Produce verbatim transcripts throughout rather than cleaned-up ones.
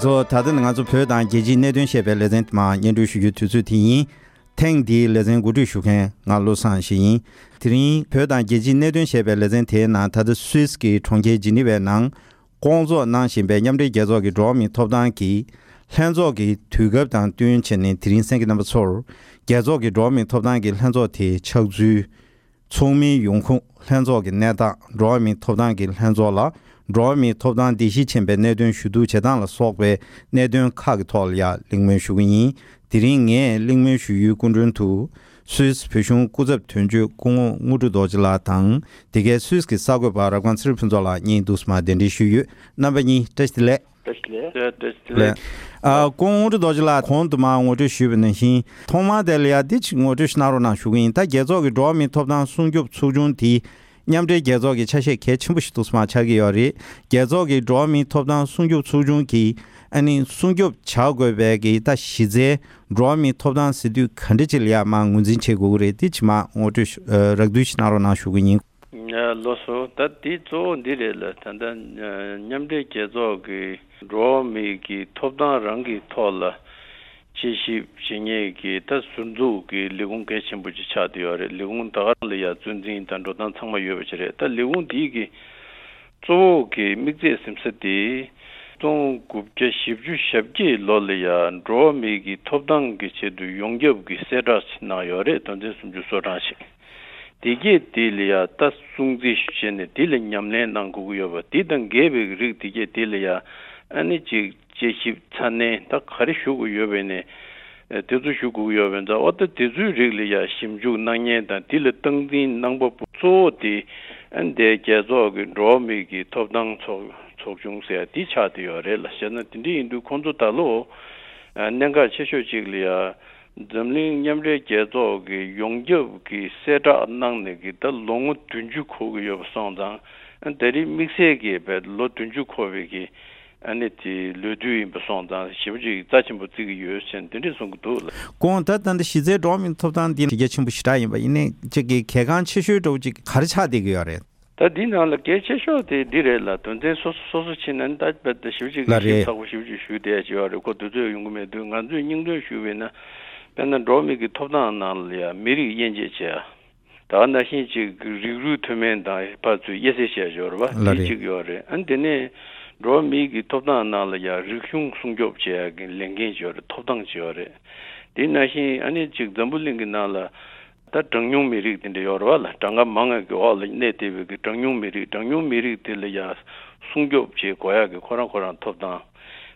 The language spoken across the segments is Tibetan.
ཚོ། ད་ལྟ་ནི་ང་ཚོ་བོད་དང་རྒྱལ་སྤྱིའི་གནད་དོན་ཞེས་པའི་ལེ་ཚན་དེ་མར་སྙན་སྒྲོན་ཞུ་རྒྱུའི་དུས་ཚོད་དེ་ཡིན། ཐེངས་འདིའི་ལེ་ཚན་གོ་སྒྲིག་ཞུ་མཁན་ང་བློ་བཟང་ཞིག་ཡིན། དེ་རིང་བོད་དང་རྒྱལ་སྤྱིའི་གནད་དོན་ཞེས་པའི་ལེ་ཚན་དེའི་ནང་ད་ལྟ་སུད་སི་གི་གྲོང་ཁྱེར་ཇི་ནི་ཝའི་ནང་སྐོང་ཚོགས་གནང་བཞིན་པའི་མཉམ་འབྲེལ་རྒྱལ་ཚོགས་ཀྱི་འགྲོ་བ་མིའི་ཐོབ་ཐང་གི་ལྷན་ཚོགས་ཀྱི་དུས་སྐབས་དང་བསྟུན་བྱས་ནས་དེ་རིང་གསན་མཁན་རྣམ་པ་ཚོར་རྒྱལ་ཚོགས་ཀྱི་འགྲོ་བ་མིའི་ཐོབ་ཐང་གི་ལྷན་ཚོགས་དེའི་ཆགས་ཚུལ། ཚོགས་མིའི་ཡོང་ཁུངས། ལྷན་ཚོགས་ཀྱི་གནས་སྟངས། འགྲོ་བ་མིའི་ཐོབ་ཐང་གི་ལྷན་ཚོགས་ལ་འགྲོ་བ་མིའི་ཐོབ་ཐང་བརྡལ་བཤིག་ཕྱིན་པའི་གནད་དོན་ཞུ་གཏུག་བྱེད་སྟངས་ལ་སོགས་པའི་གནད་དོན་ཁག་གི་ཐོག་ལ་ཡང་གླེང་མོལ་ཞུ་གི་ཡིན། དེ་རིང་ངས་གླེང་མོལ་ཞུ་ཡུལ་སྐུ་མགྲོན་དུ་སུད་སི་བོད་གཞུང་སྐུ་ཚབ་དོན་གཅོད་སྐུ་ངོ་དངོས་གྲུབ་རྡོ་རྗེ་ལགས་དང་། དེ་གའི་སུད་སི་གི་གསར་འགོད་པ་རབ་སྒང་ཚེ་རིང་ཕུན་ཚོགས་ལགས་གཉིས་འདུག་སེ་མར་གདན་འདྲེན་ཞུས་ཡོད། རྣམ་པ་གཉིས་བཀྲ་ཤིས་བདེ་ལེགས། བཀྲ་ཤིས་བདེ་ལེགས། བཀྲ་ཤིས་བདེ་ལེགས། ལགས། ཨ། སྐུ་ངོ་དངོས་གྲུབ་རྡོ་རྗེ་ལགས་གོང་དུ་མར་ངོ་སྤྲོད་ཞུས་པ་ནང་བཞིན་ཐོག་མར་དེ་ལ་ཡ་འདི་ཅིག་ངོ་སྤྲོད་ཞིག་གནང་རོགས་གནང་ཞུ་གི་ཡིན། ད་རྒྱལ་ཚོགས་ཀྱི་འགྲོ་བ་མིའི་ཐོབ་ཐང་སྲུང་སྐྱོབ་ཚོགས་ཆུང་དེ་མཉམ་འབྲེལ་རྒྱལ་ཚོགས་ཀྱི་ཆ་ཤས་གལ་ཆེན་པོ་ཞིག་འདུག་སེ་མར་ཆགས་ཀྱི་ཡོད་རེད། རྒྱལ་ཚོགས་ཀྱི་འགྲོ་བ་མིའི་ཐོབ་ཐང་སྲུང་སྐྱོབ་ཚོགས་ཆུང་གིས་ཨ་ནི་སྲུང་སྐྱོབ་བྱ་དགོས་པའི་གི་ད་གཞི་རྩའི་འགྲོ་བ་མིའི་ཐོབ་ཐང་ཟེར་དུས་ག་འདྲ་ཅིག་ལ་ཡ་མར་ངོས་འཛིན་བྱེད་དགོས་ཀྱི་རེད། འདི་ཅིག་མར་ངོ་སྤྲོད་ཞུ་ཨ་རགས་བསྡུས་ཤིག་གནང་རོགས་གནང་ཞུ་གི་ཡིན། ཡ། ལགས་སོ། ད་འདི་གཙོ་བོ་འདི་རེད་ལ། ད་ལྟ་མཉམ་འབྲེལ་རྒྱལ་ཚོགས་ཀྱི་འགྲོ་བ་མིའི་གི་ཐོབ་ཐང་རང་གི་ཐོག་ལ་དཔྱད་ཞིབ་བྱེད་མཁན་གྱི་ད་ཟུར་འཛུགས་ཀྱི་ལས་ཁུངས་གལ་ཆེན་པོ་ཅིག་ཆགས་བསྡད་ཡོད་རེད། ལས་ཁུངས་ད་ག་རང་ལ་ཡ་གཙོ་འཛིན་དང་འགྲོ་སྟངས་ཚང་མ་ཡོད་པ་ཅིག་རེད། ད་ལས་ཁུངས་འདིའི་གི་གཙོ་བོ་གི་དམིགས་ཚད་ཟིན་ས་དེ་སྟོང་དགུ་བརྒྱ་བཞི་བཅུ་ཞེ་བརྒྱད་ལོ་ལ་ཡ་འགྲོ་བ་མིའི་གི་ཐོབ་ཐང་གི་ཆེད་དུ་ཡོངས་ཁྱབ་ཀྱི་གསལ་བསྒྲགས་ཅིག་གནང་ཡོད་རེད། དོན་ཚན་སུམ་ཅུ་སོ་གྲངས་ཤིག་དེ་གས་དེ་ལ་ཡ་ད་སྲུང་བརྩི་བྱས་ནས་དེ་ལ་ཉམས་ལེན་གནང་དགོས་ཀྱི་ཡོད་པ། དེ་དང་འགལ་བའི་རིགས་དེ་གས་དེ་ལ་ཡ་ཨ་ནི་ཅིག་དཔྱད་ཞིབ་ཚ་ནན་ད་ག་རེ་ཞུ་དགོས་ཡོད་པས་ནས་དེ་ཚོ་ཞུ་དགོས་ཀྱི་ཡོད་པས། ད་འོ་ད་དེ་ཚོའི་རིགས་ལ་ཡ་ཞིབ་འཇུག་གནང་མཁན་དང་དེ་ལ་སྟངས་འཛིན་གནང་པ་པོ་གཙོ་བོ་དེ་ཨ་ནི་དེ་རྒྱལ་ཚོགས་ཀྱི་འགྲོ་བ་མིའི་གི་ཐོབ་ཐང་ཚོགས་ཚོགས་ཆུང་ཟེར་ཡ་དེ་ཆགས་བསྡད་ཡོད་རེད་ལ། བྱས་ན་དེ་འདྲ་ཡིན་དུས་ཁོང་ཚོ་ད་ལོ་གནད་འགག་ཆེ་ཤོས་གཅིག་ལ་ཡ། འཛམ་གླིང་མཉམ་འབྲེལ་རྒྱལ་ཚོགས་ཀྱི་ཡོངས་ཁྱབ་ཀྱི་གསལ་བསྒྲགས་གནང་ནས་ཀྱི་ད་ལོ་ངོ་བདུན་ཅུ་འཁོར་གྱི་ཡོད་པ་སོང་ཙང་། ད་རེས་དམིགས་བསལ་གྱི་བས་ལོ་བདུན་ཅུ་འཁོར་བའི་གི་ཨ་ནི་དེ་ལོ་དུས་ཡིན་པ་སོང་ཙང་ཞེ་པོ་ཅིག་རྩ་ཆེན་པོ་བརྩི་གི་ཡོད་ཟེར་འདི་འདྲས་གསུང་གི་འདུག་ལ། ཁོང་ད་ད་ལྟ་གཞི་རྩའི་འགྲོ་བ་མིའི་ཐོབ་ཐང་འདི་གལ་ཆེན་པོ་ཞེ་དྲག་ཡིན་པ་ཡིན་ནའི་ཅིག་གི་གལ་འགངས་ཆེ་ཤོས་འདྲ་བོ་ཅིག་ག་རེ་ཆགས་བསྡད་ཀྱི་ཡོད་རེད། ད་འདི་ནང་ལ་གལ་ཆེ་ཤོས་དེ་འདི་རེད་ལ། དོན་ཚན་སོ་སོ་སོ་སོ་ཕྱིན་ན་ནི་ད་རྦད་དེ་ཞེ་པོ་ཅིག་ལ་ཞིབ་རེད། ཚགས་པོ་ཞེ་པོ་ཅིག་ཞུ་བསྡད་ཀྱི་ཡོད་རེད། ཁོ་དུས་ཚོད་ཡོང་གི་མེད་དུས་ང་ཚོས་སྙིང་དོན་ཞུས་པས་ན། དཔེར་ན་འགྲོ་བ་མི་གི་ཐོབ་ཐང་ནང་ལ་ཡང་མི་རིགས་དབྱེ་འབྱེད་བྱས། ད་ག་ནང་བཞིན་ཅིག་རིགས་རུས་མཐུན་མིན་དང་ཕར་ཚུར་དབྱེ་གསལ་བྱས་ཡོད་རེད་པ། ལ་དེ་རེད། གཅིག་ཡོད་རེད། ཨ་ནི་དེ་ནས་འགྲོ་བ་མི་གི་ཐོབ་ཐང་ནང་ལ་ཡང་རིག་གཞུང་སྲུང་སྐྱོབ་བྱེད་ཡག་གི་ལས་འགན་ཅིག་ཡོད་རེད། ཐོབ་ཐང་ཅིག་ཡོད་རེད། དེ་ནང་བཞིན་ཨ་ནི་ཅིག་འཛམ་བུ་གླིང་གི་ནང་ལ་ད་གྲངས་ཉུང་མི་རིགས་དེ་འདྲ་ཡོད་རེད་པ་ལ། གྲངས་ཀ་མང་བ་གི་འོག་ལ་གནས་བསྡད་པའི་གི་གྲངས་ཉུང་མི་རིགས། གྲངས་ཉུང་མི་རིགས་དེ་ལ་ཡང་སྲུང་སྐྱོབ་བྱེད་དགོས་ཡག་གི་ཁོ་རང་ཁོ་རང་ཐོབ་ཐང་།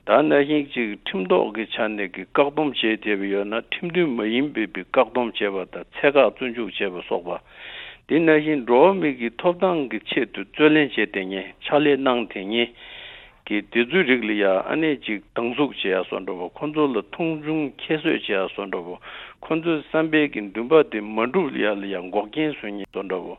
ད་ནང་བཞིན་ཅིག་ཁྲིམས་ཐོག་གི་ཆ་ནས་ཀྱི་བཀག་སྡོམ་བྱས་བསྡད་པ་ཡོད་ན་ཁྲིམས་མཐུན་མ་ཡིན་པའི་བཀག་སྡོམ་བྱས་པ་དང་ཚད་བཀག་བཙོན་འཇུག་བྱས་པ་སོགས་པ། དེ་ནང་བཞིན་འགྲོ་བ་མི་གི་ཐོབ་ཐང་གི་ཆེད་དུ་རྩོད་ལེན་བྱས་བསྡད་མཁན། ཕྱག་ལས་གནང་བསྡད་མཁན་གི་དེ་ཚོའི་རིགས་ལ་ཡ་ཨ་ནི་ཅིག་སྡང་ཟུག་བྱེད་ཡ་བཟོ་འདྲ་པོ། ཁོ་ཚོ་ལ་མཐོང་ཆུང་ཁྱད་གསོད་བྱེད་ཡ་བཟོ་འདྲ་པོ། ཁོ་ཚོའི་བསམ་པའི་གི་འདུན་པ་དེ་མ་འགྲུབ་ཡ་ལ་ཡ་འགོག་རྐྱེན་བཟོ་མཁན་བཟོ་འདྲ་པོ།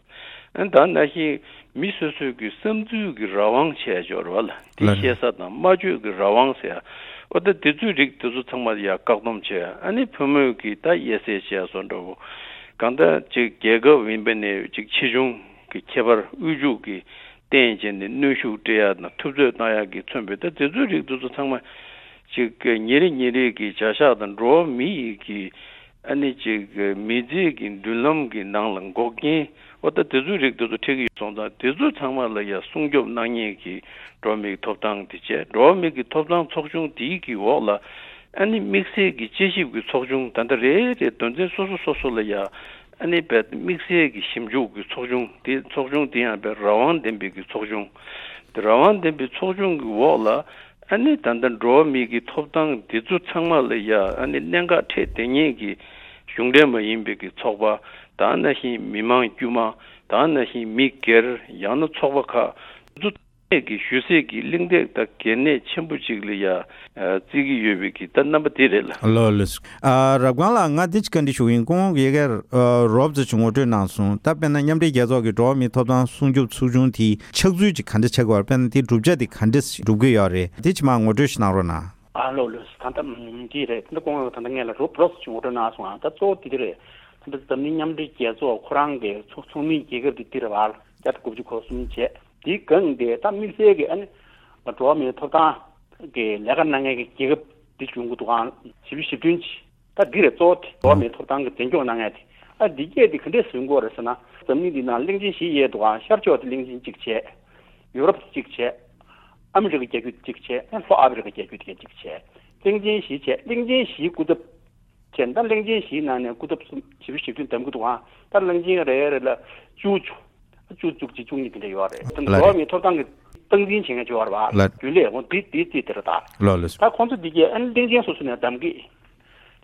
ཨ་ནི་ད་ནང་བཞིན་མི་སོ་སོའི་གི་བསམ་ཚུལ་གི་རང་དབང་བྱས་ཡ་ཅིག་ཡོད་རེད་པ་ལ། དེ་ལ་ལ། བཤད་ས་དང་སྨྲ་བརྗོད་ཀྱི་རང་དབང་ཟེར་ཡ། འོ་ད་དེ་ཚོའི་རིགས་དེ་ཚོ་ཚང་མ་ལ་ཡ་བཀག་སྡོམ་བྱས། ཨ་ནི་བུ་མོས་ཀྱི་ད་དབྱེ་གསལ་བྱས་ཡ་བཟོ་འདྲ་པོ། གང་ལྟར་ཅིག་རྒྱལ་ཁབ་ཡིན་པ་ནས་ཅིག་ཆེ་ཆུང་གི་ཁྱད་པར། དབུལ་ཕྱུག་གི་བརྟེན་བྱས་ནས་གནོན་ཤུགས་སྤྲད་ཡ་དང་ཐུབ་ཚོད་བཏང་ཡ་གི་མཚོན་པའི་ད་དེ་ཚོའི་རིགས་དེ་ཚོ་ཚང་མ་ཅིག་ཉིན་རེ་ཉིན་རེ་གི་བྱ་གཞག་དང་འགྲོ་བ་མི་ཡི་གི་ཨ་ནི་ཅིག་མི་ཚེ་གི་མདུན་ལམ་གི་ནང་ལ་འགོག་རྐྱེན། འོ་ད་དེ་ཚོའི་རིགས་དེ་ཚོ་འཕྲད་ཀྱི་ཡོད་སོང་ཙང་དེ་ཚོ་ཚང་མ་ལ་ཡ་སྲུང་སྐྱོབ་གནང་མཁན་གྱི་འགྲོ་བ་མིའི་ཐོབ་ཐང་དེ་བྱས། འགྲོ་བ་མི་གི་ཐོབ་ཐང་ཚོགས་ཆུང་དེའི་གི་འོག་ལ་ཨ་ནི་དམིགས་བསལ་གྱི་དཔྱད་ཞིབ་ཀྱི་ཚོགས་ཆུང་། ད་ལྟ་རེ་རེ་དོན་ཚན་སོ་སོ་སོ་སོ་ལ་ཡ་ཨ་ནི་བས་དམིགས་བསལ་གྱི་ཞིབ་འཇུག་གི་ཚོགས་ཆུང་དེ། ཚོགས་ཆུང་དེ་ཡང་བས་རང་དབང་ལྡན་པའི་གི་ཚོགས་ཆུང་། དེ་རང་དབང་ལྡན་པའི་ཚོགས་ཆུང་གི་འོག་ལ་ཨ་ནི་ད་ལྟ་འགྲོ་བ་མི་གི་ཐོབ་ཐང་འདི་ཚོ་ཚང་མ་ལ་ཡ་ཨ་ནི་གནད་འགག་འཕྲད་བསྡད་མཁན་གྱི་གཞུང་འབྲེལ་མ་ཡིན་པའི་གི་ཚོགས་པ། ད་ནང་བཞིན་མི་མང་དཀྱུས་མ། ད་ནང་བཞིན་མི་སྒེར། ཡང་ན་ཚོགས་པ་ཁག་འདི་ཚོ་གནས་ཀྱི་ཞུ་སྲོལ་གྱི་གླེང་སྟེགས་དང་གལ་གནད་ཆེན་པོ་ཅིག་ལ་ཡ། ཨ། བརྩི་གི་ཡོད་པའི་གི་ད་རྣམ་པ་དེ་རེད་ལ། ལགས་ལགས། ཨ། རབ་སྒང་ལགས་ང་འདི་ཅིག་བཀའ་འདྲི་ཞུ་གི་ཡིན། སྐུ་ངོ་ཡ་གིར་ཨ། རོབ་ཙམ་ཅིག་ངོ་སྤྲོད་གནང་སོང་། ད་དཔེར་ན་མཉམ་འབྲེལ་རྒྱལ་ཚོགས་ཀྱི་འགྲོ་བ་མིའི་ཐོབ་ཐང་སྲུང་སྐྱོབ་ཚོགས་ཆུང་དེའི་ཆགས་ཚུལ་ཅིག་ག་འདྲ་ཆགས་ཀྱི་ཡོད་རེད། དཔེར་ན་དེའི་གྲུབ་ཆ་དེ་ག་འདྲ་སྒྲུབ་ཀྱི་ཡོད་རེད། དེ་ཅིག་མར་ངོ་སྤྲོད་ཞིག་གནང་རོགས་གནང་། ཨ། ལགས་ལགས། ད་ལྟ་འདི་རེད། ད་ལྟ་སྐུ་ངོ་ད་ལྟ་ངས་ལ་རོབ་རོབ་ཙམ་ཅིག་ངོ་སྤྲོད་གནང་སོང་ཨ། ད་གཙོ་བོ་དེ་འདི་རེད། ད་ལྟ་འཛམ་གླིང་མཉམ་འབྲེལ་རྒྱལ་ཚོགས་ཁོ་རང་གི་ཚོགས་ཚོགས་མི་རྒྱལ་ཁབ་དེ་འདི་རེད་བ། བརྒྱ་དང་དགུ་བཅུ་གོ་གསུམ་བྱས། དེའི་སྒང་དེ་ད་དམིགས་བསལ་གྱི་ཨ་ནི་འགྲོ་བ་མིའི་ཐོབ་ཐང་ གི་ལས་ཀ་གནང་མཁན་གྱི་རྒྱལ་ཁབ་འདི་བྱུང་གི་འདུག་ཨང་། བཞི་བཅུ་ཞེ་བདུན་ཅིག་ད་འདི་རེད། གཙོ་བོ་དེ་འགྲོ་བ་མིའི་ཐོབ་ཐང་གི་འཛིན་སྐྱོང་གནང་མཁན་དེ། ཨ་འདི་སྐད་དེ་ག་འདྲས་བཟོ་དགོས་རེད་ཟེར་ན། འཛམ་གླིང་འདི་ནང་གླིང་ཆེན་བཞི་ཡོད་འདུག་ཨང་། ཤར་ཕྱོགས་དེ་གླིང་ཆེན་གཅིག་བྱས། ཡུ་རོབ་གཅིག་བྱས། ཨ་མི་རི་ཀ་རྒྱལ་རྒྱུད་གཅིག་བྱས། ལྷོ་ཨ་ཕི་རི་ཀ་རྒྱལ་རྒྱུད་དེ་གཅིག་བྱས། གླིང་ཆེན་བཞི་བྱས། གླིང་ཆེན་བཞིའི་སྐུ་ཚབ་བྱས་ན། ད་གླིང་ཆེན་བཞིའི་ནང་ནས་སྐུ་ཚབ་གསུམ་བཞི་བཅུ་ཞེ་བདུན་བདམས་ཀྱི་འདུག་ཨང་། ད་གླིང་ཆེན་རེ་རེ་ལ་བཅུ་བཅུ་བཅུ་གཅིག་བཅུ་གཉིས་དེ་འདྲ་ཡོད་རེད། ད་ལ་འགྲོ་བ་རེད། མིའི་ཐོབ་ཐང་གི་སྟངས་འཛིན་བྱེད་མཁན་ཅིག་ཡོད་རེད་པ། ལ་རྒྱུན་ལས་འོང་དེ་དེ་དེ་དེ་རེད་ད། ལ་ལ། ད་ཁོང་ཚོ་འདི་གས་ཨ་ནི་གླིང་ཆེན་སོ་སོ་ནས་བདམས་ཀྱི།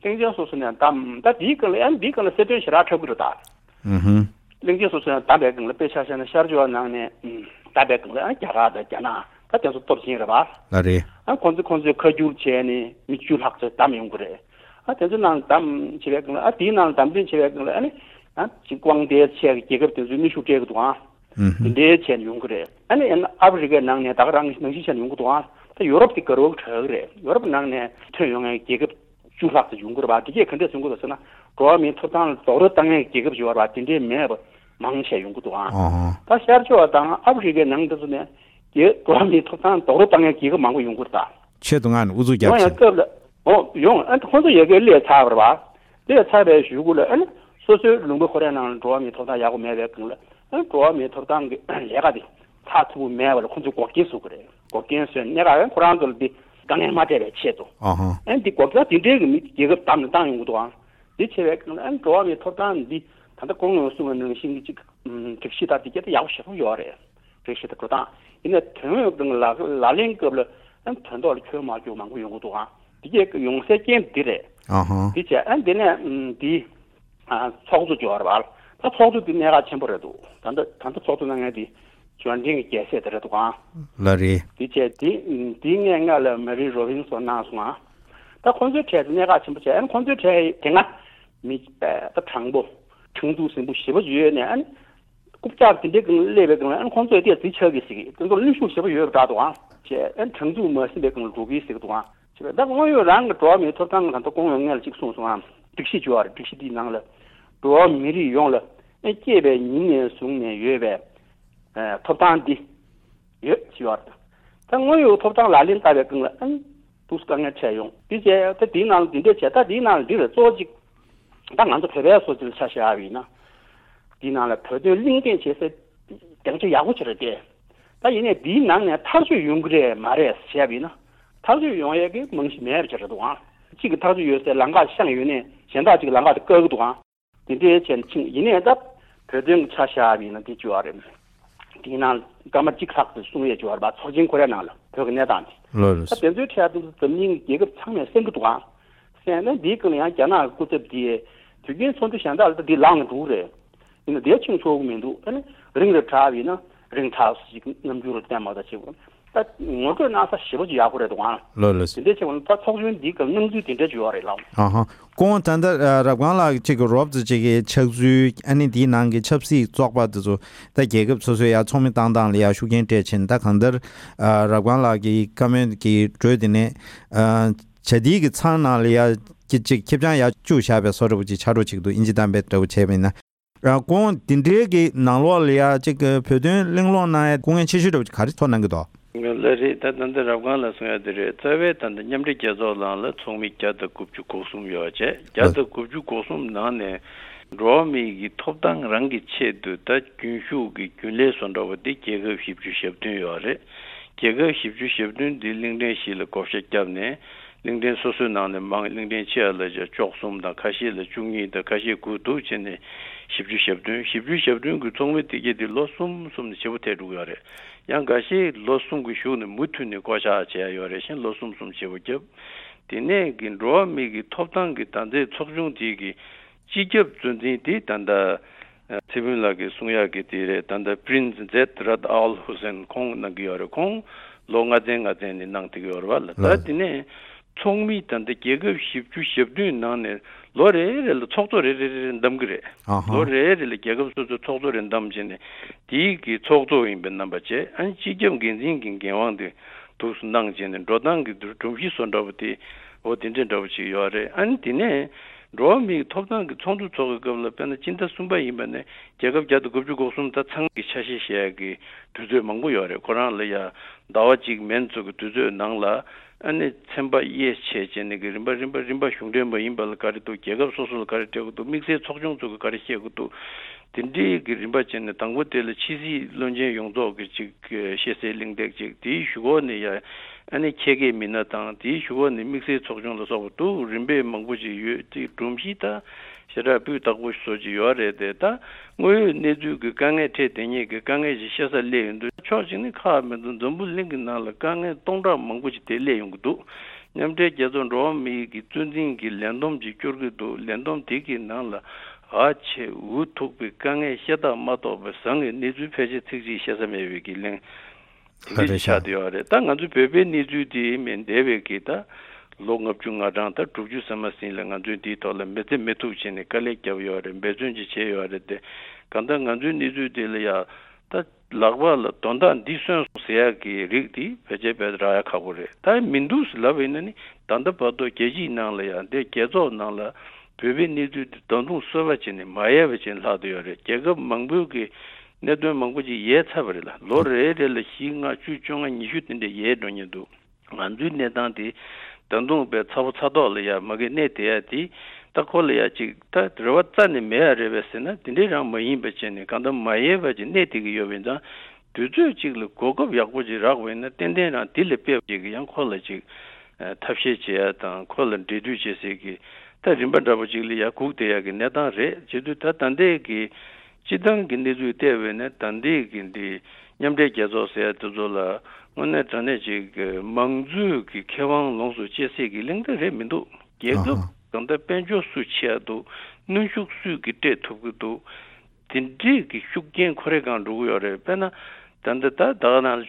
གླིང་ཆེན་སོ་སོ་ནས་བདམས། ད་དེའི་སྒང་ལ་ཨ་ནི་དེའི་སྒང་ལ་གསལ་སྟོན་ཞེ་དྲག་འཁྲབ་ཀྱི་རེད་ད། ཨུ་ཧུམ། གླིང་ཆེན་སོ་སོ་ནས་བདམས་པའི་སྒང་ལ་དཔེ་ཆ་བཞག་ན་ཤར་ཕྱོགས་ནང་ནས་ཨུམ་བདམས་པའི་སྒང་ལ་ཨ་རྒྱ་གར་དང་རྒྱ་ནག་ད་དེ་ཚོ་སྟོབས་ཆེན་རེད་པ། ལ་རེད། ཨ་ཁོང་ཚོ་ཁོང་ཚོས་ཁ་བསྒྱུར་བྱས་ནས་མི་བཅུ་ལྷག་ཙམ་བདམས་ཡོང་གི་རེད། ཨ་དེ་ཚོ་ནང་བདམས་བྱེད་པའི་སྒང་ལ། ཨ་དེའི་ནང་བདམས་ཐོན་བྱེད་པའི་སྒང་ལ་ཨ་ནི་ཨ་ཅིག་དབང་ཆ་ཆེ་བའི་རྒྱལ་ཁབ་དེ་ཚོས་གནོན་ཤུགས་སྤྲད་ཀྱི་འདུག་ཨང་། ཨུ་ཧུམ། དེ་འདྲའི་བྱས་ནས་ཡོང་གི་རེད། ཨ་ནི་ཨ་ནི་ཨ་ཕི་རི་ཀའི་ནང་ནས་ད་ག་རང་ནང་བཞིན་བྱས་ནས་ཡོང་གི་འདུག་ཨང་། ད་ཡོ་རོབ་དེ་དགའ་རབ་དྲག་གི་རེད། ཡོ་རོབ་ནང་ནས་ཐོན་ཡོང་མཁན་རྒྱལ་ཁབ་བཅུ་ལྷག་ཙམ་ཡོང་གི་རེད་པ། དེ་གས་ག་འདྲས་སོང་གི་རེད་ཟེར་ན། འགྲོ་བ་མིའི་ཐོབ་ཐང་ལ་རྡོག་རོལ་བཏང་མཁན་རྒྱལ་ཁབ་ཅིག་ཡོད་རེད་པ། དེ་འདྲས་མེད་པ་མང་ཆེ་ཡོང་གི་འདུག་ཨང་། ཨོ་ཧོ། ད་ཤར་ཕྱོགས་དང་ཨ་ཕི་རི་ཀའི་ནང་དེ་ཚོ་ནས་རྒྱལ་འགྲོ་བ་མིའི་ཐོབ་ཐང་རྡོག་རོལ་བཏང་མཁན་རྒྱལ་ཁབ་མང་པོ་ཡོང་གི་རེད་ད། ཆེད་དུ་མངགས་ནས་ཨུ་ཚུགས་རྒྱབ་ཡོང་ཡང་ཚེ། སྐབས་ལ། འོ་ཡོང་། ཨ་ཁོང་ཚོ་ཡ་གིར་སླེབས་ཚར་བ་རེད་པ། སླེབས་ཚར་བའི་གཞུག་གུ་ལ་ཨ་ནི་སོ་སོའི་ལུང་པ་ཁོ་རའི་ནང་ལ་འགྲོ་བ་མིའི་ཐོབ་ཐང་ཡག་པོ་མེད་པའི་སྒང་ལ། ཨ་ནི་འགྲོ་བ་མིའི་ཐོབ་ཐང་གི་ལས་ཀ་དེ་ཚགས་ཚུད་པོ་མེད་པ་ལ་ཁོང་ཚོས་འགོག་རྐྱེན་བཟོ་གི་རེད། འགོག་རྐྱེན་བཟོས་ནས་ག་ཁོ་རང་ཚོ་ལ་འདི་དཀའ་ངལ་མ་སྤྲད་པའི་ཆེད་དུ། ཨ་ཧ། ཨ་ནི་འདི་འགོག་རྐྱེན་དེ་འདྲའི་གི་མི་རྒྱལ་ཁབ་བདམས་ནས་བཏང་ཡོང་གི་འདུག་ཨང་། འདི་བྱས་པའི་སྒང་ལ་ཨ་ནི་འགྲོ་བ་མིའི་ཐོབ་ཐང་འདི་ད་ལྟ་གོང་ཡང་གསུངས་པ་ནང་བཞིན་གྱི་ཅིག་ཨམ་སྒྲིག་གཞི་དང་འདི་གས་དེ་ཡག་པོ་ཞེ་པོ་ཡོད་རེད། སྒྲིག་གཞི་དང་འགྲོ་སྟངས། ཡིན་ནའི་དོན་དངོས་སྒང་ལ་ལག་ལག་ལེན་སྐབས་ལ་ཨ་ནི་དོན་ཐོག་ལ་འཁྱོལ་མ་འཁྱོལ་མང་པོ་ཡོང་གི་འདུག་ཨང་། འདི་གས་ཡོང་སའི་རྐྱེན་འདི་རེད། ཨ་ཧ། འདི་བྱས་ཨ་ནི་འདི་ནས་ཨམ་འདི་ཨ་ཚོགས་གཙོ་ཅིག་ཡོད་རེད་པ། ད་ཚོགས་གཙོ་འདི་གནད་འགག་ཆེན་པོ་རེད་འདུག་ད་ལྟ་ད་ལྟ་ཚོགས་གཙོ་གནང་མཁན་འདི་འབྱོར་འབྲིང་གི་རྒྱལ་སྲས་དེ་རེད་འདུག་ཨང་། ལ་རེད། འདི་བྱས་འདི་འདི་སྔས་སྔ་ལ་མེ་རི་རོ་བིན་སོགས་གནང་སོང་ཨང་། ད་ཁོང་ཚོའི་གྲས་དེ་གནད་འགག་ཆེན་པོ་བྱས། ཨ་ནི་ཁོང་ཚོའི་གྲས་དེ་སྔ་མི་ད་དྲང་པོ་ཁྲིམས་གཏུག་ཟིན་པོ་ཞེ་པོ་ཡོད་ནས། ཨ་ནི་རྐུབ་བཀྱག་དེ་འདྲའི་སྒང་སླེབས་པའི་སྒང་ལ་ཨ་ནི་ཁོང་ཚོས་དེ་རྩིས་ཆགས་ཀྱི་ཟེར་གི། དེ་ཚོར་གནོན་ཤུགས་ཞེ་པོ་ཡོད་པ་འདྲ་འདུག་ཨང་། བྱས་ཨ་ནི་དྲང་ཚུགས་མ་ཟིན་པའི་སྒང་ལ་འགྲོ་གི་ཟེར་གི་འདུག་ཨང་། བྱས་པས་ད་དངོས་ཡོད་རང་གི་འགྲོ་བ་མིའི་ཐོབ་ཐང་གི་ད་ལྟ་གོང་ཡང་སྔོན་ལ་གཅིག་གསུངས་སོང་ཨང་། སྒྲིག་གཞི་བྱས་པ་རེད། སྒྲིག་གཞི་འདིའི་ནང་ལ་འགྲོ་བ་མི་རིགས་ཡོངས་ལ་ཨ་ནི་སྐྱེས་པའི་ཉིན་ནས་བཟུང་ནས་ཡོད་པའི་ཨ་ཐོབ་ཐང་འདི་ཡོད་ཅེས་པ་རེད། ད་དངོས་ཡོད་ཐོབ་ཐང་ལག་ལེན་བསྟར་བའི་སྒང་ལ་ཨ་ནི་འདུག་སེ་དཀའ་ངལ་འཕྲད་ཡོང་། འདི་བྱས་ད་འདིའི་ནང་ལ་འདི་འདྲས་བྱས། ད་འདིའི་ནང་ལ་འདི་རེད། གཙོ་བོ་གཅིག་ད་ང་ཚོ་བོད་པའི་སོ་སོའི་ཆ་བཞག་པ་ཡིན་ན། འདིའི་ནང་ལ་བོད་དོན་གླེང་སྟེགས་བྱེད་སའི་སྡིངས་ཆ་ཡག་པོ་ཅིག་རེད་དེ། ད་ཡིན་ནའི་འདིའི་ནང་ནས་ཐག་གཅོད་ཡོང་གི་རེད་མ་རེད་བཤད་པ་ཡིན་ན། ཐག་གཅོད་ཡོང་ཡས་ཀྱི་རྨང་གཞི་མེད་པ་ཅིག་རེད་འདུག་ཨང་། གཅིག་གི་ཐག་གཅོད་ཡོད་སའི་ལམ་ཁ་བཤངས་ཡོད་ནའི་གཞན་དག་ཅིག་གི་ལམ་ཁ་དེ་བཀག་གི་འདུག་ཨང་། དེ་འདྲའི་བྱས་ནས་ཕྱིན། ཡིན་ནའི་ད་བོད་དོན་གྱི་ཆ་བཞག་པ་ཡིན་ན་འདི་བྱས་པ་རེད། དེའི་ནང་སྐར་མ་གཅིག་ལྷག་ཙམ་གསུང་ཡས་བྱས་པ་རེད་པ། ཚོགས་ཆེན་ཁོ་རའི་ནང་ལ་བོད་ཀྱི་གནས་སྟངས་དེ། ལགས་རེད། ད་དེ་ཚོའི་གྲས་དེ་ཚོ་འཛམ་གླིང་གི་རྒྱལ་ཁབ་ཚང་མས་གསན་གྱི་འདུག་ཨང་། གསན་ནས་འདིའི་སྐབས་ལ་ཡང་རྒྱ་ནག་གི་སྐུ་ཚབ་དེས་དུས་རྒྱུན་ཚོགས་འདུ་གཞན་དག་ལ་ད་འདི་ལངས་ནས་འགྲོ་གི་རེད། ཡིན་ན་དེ་ཕྱིན་ཆོག་གི་མི་འདུག་ཨ་ནི་རིང་རུ་དྲགས་པ་ཡིན་ན་རིང་དྲགས་སུ་ཞིག་རྣམ་འགྱུར་བསྟན་མ་ད་བྱེད་དགོས། ད་ངོ་སྤྲོད་གནང་ས་ཞེ་པོ་ཅིག་ཡག་པོ་རེད་འདུག་ཨང་། ལགས་ལགས། དེ་འདྲ་བྱས་པ་ན་ད་ཚོགས་ཆུང་འདི་གི་སྣང་ཚུལ་དེ་འདྲ་ཅིག་ཡོད་རེད་ལགས། ཨ་ཧ། ཁོང་ད་ལྟ་ཨ་རབ་སྒང་ལགས་ཅིག་གི་རོབ་ཙམ་ཅིག་གི་ཕྱག་ཚུལ། ཨ་ནི་དེའི་ནང་གི་ཆབ་སྲིད་བཙོག་པ་དེ་ཚོ་ད་རྒྱལ་ཁབ་སོ་སོའི་ཡ་ཚོགས་མི་བཏང་སྟངས་ལ་ཡ་ཤུགས་རྐྱེན་སྤྲད་ཕྱིན། ད་གང་ལྟར་ཨ་རབ་སྒང་ལགས་ཀྱི་བཀའ་མོལ་གྱི་འགྲོས་དེ་ནས་ཨ་བྱ་དེའི་གི་ཚང་ནང་ལ་ཡ་ཅིག་ཅིག་ཁེབས་རྐྱང་ཡ་བཅུག་བཞག་པའི་བཟོ་འདྲ་པོ་ཅིག་ཆགས་འགྲོ་ཅིག་འདུག་ཨིན་ཇི་གཏམ་དཔེ་འདྲ་པོ་བྱས་པ་ཡིན་ན། ཨ་ཁོང་དེ་འདྲའི་གི་ནང་ལོགས་ལ་ཡ་ཅིག་གི་བོད་དོན་གླེང་སློང་གནང་ཡ་སྐུ་ངལ་ཆེ་ཤོས་འདྲ་པོ་ཅིག་ག་རེ་ཐོན་གནང་གི་འདུག་ལགས་རེད། ད་ད་ལྟ་རབ་སྒང་ལགས་གསུང་ཡ་དེ་རེད། རྩ་བའི་ད་ལྟ་མཉམ་འབྲེལ་རྒྱལ་ཚོགས་ནང་ལ་ཚོགས་མི་བརྒྱ་དང་དགུ་བཅུ་གོ་གསུམ་ཡོད་བྱས། བརྒྱ་དང་དགུ་བཅུ་གོ་གསུམ་ནང་ནས་འགྲོ་བ་མིའི་གི་ཐོབ་ཐང་རང་གི་ཆེད་དུ་ད་རྒྱུན་ཞུགས་ཀྱི་རྒྱུན་ལས་བཟོ་འདྲ་པོ་དེ་རྒྱལ་ཁབ་བཞི་བཅུ་ཞེ་བདུན་ཡོད་རེད། རྒྱལ་ཁབ་བཞི་བཅུ་ཞེ་བདུན་འདི་གླིང་ཕྲན་བཞི་ལ་བགོ་བཤའ་བརྒྱབ་ནས། གླིང་ཕྲན་སོ་སོའི་ནང་ནས་མང་། གླིང་ཕྲན་ཆེ་བ་ལ་བཅུ་གསུམ་དང་། ཁ་ཤས་ལ་བཅུ་གཉིས་དང་། ཁ་ཤས་དགུ་འདུག་བྱས་ནས་བཞི་བཅུ་ཞེ་བདུན། བཞི་བཅུ་ཞེ་བདུན་གྱི་ཚོགས་མི་དེ་གས་དེ་ལོ་གསུམ་གསུམ་ནས་བྱེད་པོ་ཐལ་འགྲོ་གི་ཡོད་རེད། ཡང་འགའ་ཤས་ལོ་གསུམ་གྱི་གཞུག་ནས་མུ་མཐུད་ནས་བསྐོ་བཞག་བྱས་ཡོད་རེད། གཞན་ལོ་གསུམ་གསུམ་བྱེད་པོ་བརྒྱབ། དེ་ནས་གི་འགྲོ་བ་མི་གི་ཐོབ་ཐང་གི་ད་ལྟའི་ཚོགས་ཆུང་དེ་གི་སྤྱི་ཁྱབ་གཙོ་འཛིན་དེ་ད་ལྟ་ཚེ་ཕུན་ལགས་ཀྱིས་གསུང་ཡག་གི་དེ་རེད། ད་ལྟ་པྲིན་ཛེད་རད་ཨལ་ཧུ་སན་ཁོང་གནང་གི་ཡོད་རེད། ཁོང་ལོ་ལྔ་ཚན་ལྔ་ཚན་ནས་གནང་བསྡད་ཀྱི་ཡོད་རེད་བ་ལ། ད་དེ་ནས་ཚོགས་མི་ད་ལྟ་རྒྱལ་ཁབ་བཞི་བཅུ་ཞེ་བདུན་ནང་ནས་ལོ་རེ་རེ་ལ་ཚོགས་གཙོ་རེ་རེ་རེ་རེ་འདེམས་ཀྱི་རེད། ལོ་རེ་རེ་ལ་རྒྱལ་ཁབ་སོ་སོའི་ཚོགས་གཙོ་རེ་འདེམས་བྱས་ནས་དེའི་གི་ཚོགས་གཙོ་ཡིན་པའི་རྣམ་པ་བྱས། ཨ་ནི་སྤྱི་ཁྱབ་འགན་འཛིན་གྱི་འགན་དབང་དེ་འདུག་སེ་གནང་བྱས་ནས་འགྲོ་སྟངས་ཀྱི་སྒྲོམ་གཞི་བཟོ་འདྲ་པོ་དེ་འོ་དེ་འདྲ་འདྲ་པོ་ཅིག་ཡོད་རེད། ཨ་ནི་དེ་ནས། འགྲོ་བ་མིའི་ཐོབ་ཐང་གི་ཚོགས་འདུ་ཚོགས་ཀྱི་སྐབས་ལ་དཔེར་ན་སྤྱི་ཟླ་གསུམ་པ་ཡིན་པ་ནས་རྒྱལ་ཁབ་བརྒྱ་དང་དགུ་བཅུ་གོ་གསུམ་ད་ཚང་གི་ཆ་ཤས་བཞེས་ཡག་གི་དུས་ཚོད་མང་པོ་ཡོད་རེད། ཁོ་རང་ལ་ཡ་ཟླ་བ་གཅིག་མན་ཙམ་གྱི་དུས་ཚོད་ནང་ལ་ཨ་ནི་ཚན་པ་དབྱེ་ཕྱེ་བྱས་ནས་གི་རིམ་པ་རིམ་པ་རིམ་པ་གཞུང་འབྲེལ་མ་ཡིན་པ་ལ་ག་རེ་འདུག་རྒྱལ་ཁབ་སོ་སོ་ལ་ག་རེ་སྤྲད་དགོས་འདུག་དམིགས་བསལ་ཚོགས་ཆུང་ཚོ་གི་ག་རེ་བཤད་དགོས་འདུག་དེ་འདྲའི་གི་རིམ་པ་བྱས་ནས་དང་པོ་དེ་ལ་ཕྱི་སྲིད་བློན་ཆེན་ཡོངས་རྫོགས་ཀྱི་ཅིག་ཤེས་གསལ་གླེང་སྟེགས་ཅིག་དེའི་གཞུག་གུ་ནས་ཡ་ཨ་ནི་ཁྱད་མཁས་མི་སྣ་དང་དེའི་གཞུག་གུ་ནས་དམིགས་བསལ་ཚོགས་ཆུང་ལ་སོགས་པ་འདུག་རིམ་པས་མང་པོ་ཅིག་ཡོད་དེ་སྒྲོམ་གཞི་ད་ཞེ་དྲག་སྤུས་དག་པོ་བཟོ་ཅིག་ཡོད་རེད་དེ། ད་དངོས་ཡོད་གནས་ཚུལ་གྱི་དཀའ་ངལ་འཕྲད་དེ་ཉིད་ཀྱི་དཀའ་ངལ་ཞིག་བཤད་ས་སླེབས་ཡོང་དུས་ཕྱོགས་གཅིག་ནས་ཁག་མེད་དུ་འཛམ་བུ་གླིང་གི་ནང་ལ་དཀའ་ངལ་སྟོང་ཕྲག་མང་པོ་ཅིག་དེ་སླེབས་ཡོང་གི་འདུག་མཉམ་འབྲེལ་རྒྱལ་ཚོགས་འགྲོ་བ་མིའི་གི་གཙོ་འཛིན་གྱི་ལས་བསྡོམས་ཅིག་སྐྱོར་གྱི་འདུག་ལས་བསྡོམས་དེ་གི་ནང་ལ་ཨ་ཆེ་འུ་ཐུག་པའི་དཀའ་ངལ་བཤད་སྟངས་མ་གཏོགས་པའི་བཟང་གི་གནས་ཚུལ་ཕལ་ཆེར་ཚིག་གཅིག་བཤད་ས་མེད་པའི་གི་གླེང་ལ་འདི་རེད་ཆགས་ཤག་བསྡད་ཡོད་རེད། ད་ང་ཚོའི་བོད་པའི་གནས་ཚུལ་དེ་མིན་འདས་པའི་གི་ད་ལོ་ལྔ་བཅུ་ང་གྲངས་ད་དྲུག་ཅུ་ཟིན་མ་ཟིན་ལ་ང་ཚོས་འདིའི་ཐོག་ལ་མི་ཚེ་མི་ཐུབ་བྱས་ནས་དཀའ་ལས་བརྒྱབ་ཡོད་རེད། འབད་བརྩོན་ཅིག་བྱས་ཡོད་རེད་དེ། གང་ལྟར་ང་ཚོའི་གནས་ཚུལ་དེ་ལ་ཡ་ད་ལག་པ་ལ་དོན་དག་འདི་སོན་སོང་ཟེར་ཡག་གི་རིགས་དེ་ཕལ་ཆེར་བས་རག་ཡ་ཁག་པོ་རེད། ད་མི་འདུག་ཟེར་ལབ་པ་ཡིན་ན་ནི་ད་ལྟ་བར་དུ་རྒྱལ་སྤྱིའི་ནང་ལ་ཡང་འདི་རྒྱལ་ཚོགས་ནང་ལ་བོད་པའི་གནས་ཚུལ་འདི་ད་དུང་གསར་པ་བྱས་ནས་མ་ཡལ་བ་བྱས་ནས་ལྷག་བསྡད་ཡོད་རེད། རྒྱལ་ཁབ་མང་པོའི་གི་གནད་དོན་མང་པོ་ཅིག་ཡལ་ཚར་བ་རེད་ལ། ལོ་རེ་རེ་ལ་བཞི་ལྔ་བཅུ་བཅོ་ལྔ་ཉི་ཤུ་དེ་འདྲ་ཡལ་འགྲོ་མཁན་འདུག་ང་ཚོའི་གནས་སྟངས་དེ་ད་དུང་བས་ཚ་པོ་ཚ་ཐོག་ལ་ཡ་མ་གི་གནས་བསྡད་ཡ་དེ། ད་ཁོ་ལ་ཡ་ཅིག་ད་རེ་བ་རྩ་ནས་མེད་ཡ་རེད་པས་ཟེར་ན་དེ་འདྲའི་རང་མ་ཡིན་པ་བྱས་ནས་གང་ལྟར་མ་ཡལ་བ་ཅིག་གནས་བསྡད་ཀྱི་ཡོད་པ་ཡིན་ཙང་། དུས་ཚོད་ཅིག་ལ་གོ་སྐབས་ཡག་པོ་ཅིག་རག་པ་ཡིན་ན་ཏན་ཏན་རང་དེ་ལས་སྤེལ་བ་ཅིག་གི་ཡང་ཁོ་ལ་ཅིག་ཐབས་ཤེས་བྱེད་ཡ་དང་ཁོ་ལ་འབྲེལ་མཐུད་བྱེད་སའི་གི་ད་རིམ་པ་འདྲ་པོ་ཅིག་ལ་ཡ་སྒུག་བསྡད་ཡ་གི་གནས་སྟངས་རེད། བྱེད་དུས་ད་ད་ལྟའི་གི་སྤྱི་བཏང་གི་གནས་ཚུལ་བལྟས་པས་ན་ད་ལྟའི་གི་འདི་མཉམ་འབྲེལ་རྒྱལ་ཚོགས་ཟེར་ཡ་དེ་ཚོ་ལ་དངོས་གནས་དྲང་གནས་ཅིག་གི་མང་གཙོའི་གི་ཁེ་དབང་ལོངས་སུ་སྤྱད་སའི་གི་གླེང་སྟེགས་རེད་མི་འདུག་རྒྱལ་ཁབ་ཨ་ཧ། གང་ལྟར་དཔལ་འབྱོར་སུ་ཆེ་ཡ་འདུག་གནོན་ཤུགས་སུས་གི་སྤྲད་ཐུབ་གི་འདུག་དེ་འདྲའི་གི་ཤུགས་རྐྱེན་ཁོ་རེ་གང་འགྲོ་གི་ཡོད་རེད། དཔེར་ན་ད་ལྟ་ད་ད་ག་ནང་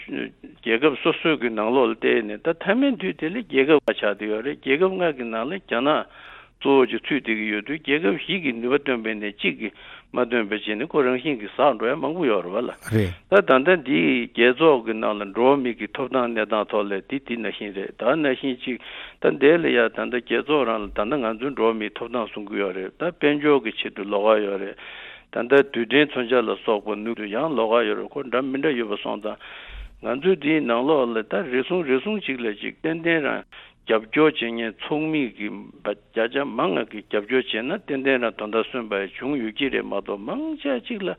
རྒྱལ་ཁབ་སོ་སོའི་གི་ནང་ལོགས་ལ་བལྟས་ནས་ད་མཐའ་མའི་དུས་དེ་ལ་རྒྱལ་ཁབ་ལྔ་ཆགས་བསྡད་ཡོད་རེད། རྒྱལ་ཁབ་ལྔ་གི་ནང་ལ་རྒྱ་ནག་གཙོ་བོ་ཅིག་ཚུད་བསྡད་ཀྱི་ཡོད་དུས་རྒྱལ་ཁབ་བཞི་གི་ནུས་པ་བཏོན་པས་ནས་གཅིག་གི་མ་བཏོན་པ་བྱས་ནས་ཁོ་རང་བཞིན་གྱིས་ཟག་འགྲོ་ཡ་མང་པོ་ཡོད་རེད་བ་ལ། རེད། ད་ད་ལྟ་འདིའི་རྒྱལ་ཚོགས་ཀྱི་ནང་ལ་འགྲོ་བ་མི་གི་ཐོབ་ཐང་གནས་སྟངས་ཐོག་ལ་དེ་དེ་ནང་བཞིན་རེད། ད་ནང་བཞིན་ཅིག་ད་འདས་ལ་ཡ་ད་ལྟ་རྒྱལ་ཚོགས་རང་ལ་ད་ལྟ་ང་ཚོའི་འགྲོ་བ་མིའི་ཐོབ་ཐང་སྲུང་གི་ཡོད་རེད། ད་དཔལ་འབྱོར་གྱི་ཆེད་དུ་ལོགས་ཀ་ཡོད་རེད། ད་ལྟ་རྡུལ་ཕྲན་མཚོན་ཆ་ལ་སོགས་པ་ནུས་དུ་ཡང་ལོགས་ཀ་ཡོད་རེད། ཁོ་འདྲ་མི་འདྲ་ཡོད་པ་སོང་ཙང་ང་ཚོའི་འདིའི་ནང་ལོགས་ལ་ད་རེ་ཟུང་རེ་ཟུང་ཅིག་ལ་ཅིག་ཏན་ཏན་རང་རྒྱབ་སྐྱོར་བྱེད་མཁན་ཚོགས་མི་གི་བརྒྱ་ཆ་མང་ང་གི་རྒྱབ་སྐྱོར་བྱས་ན་ཏན་ཏན་རང་དོན་དག་སོན་པ་བྱུང་ཡོད་ཀྱི་རེད་མ་གཏོགས་མང་ཆེ་ཅིག་ལ་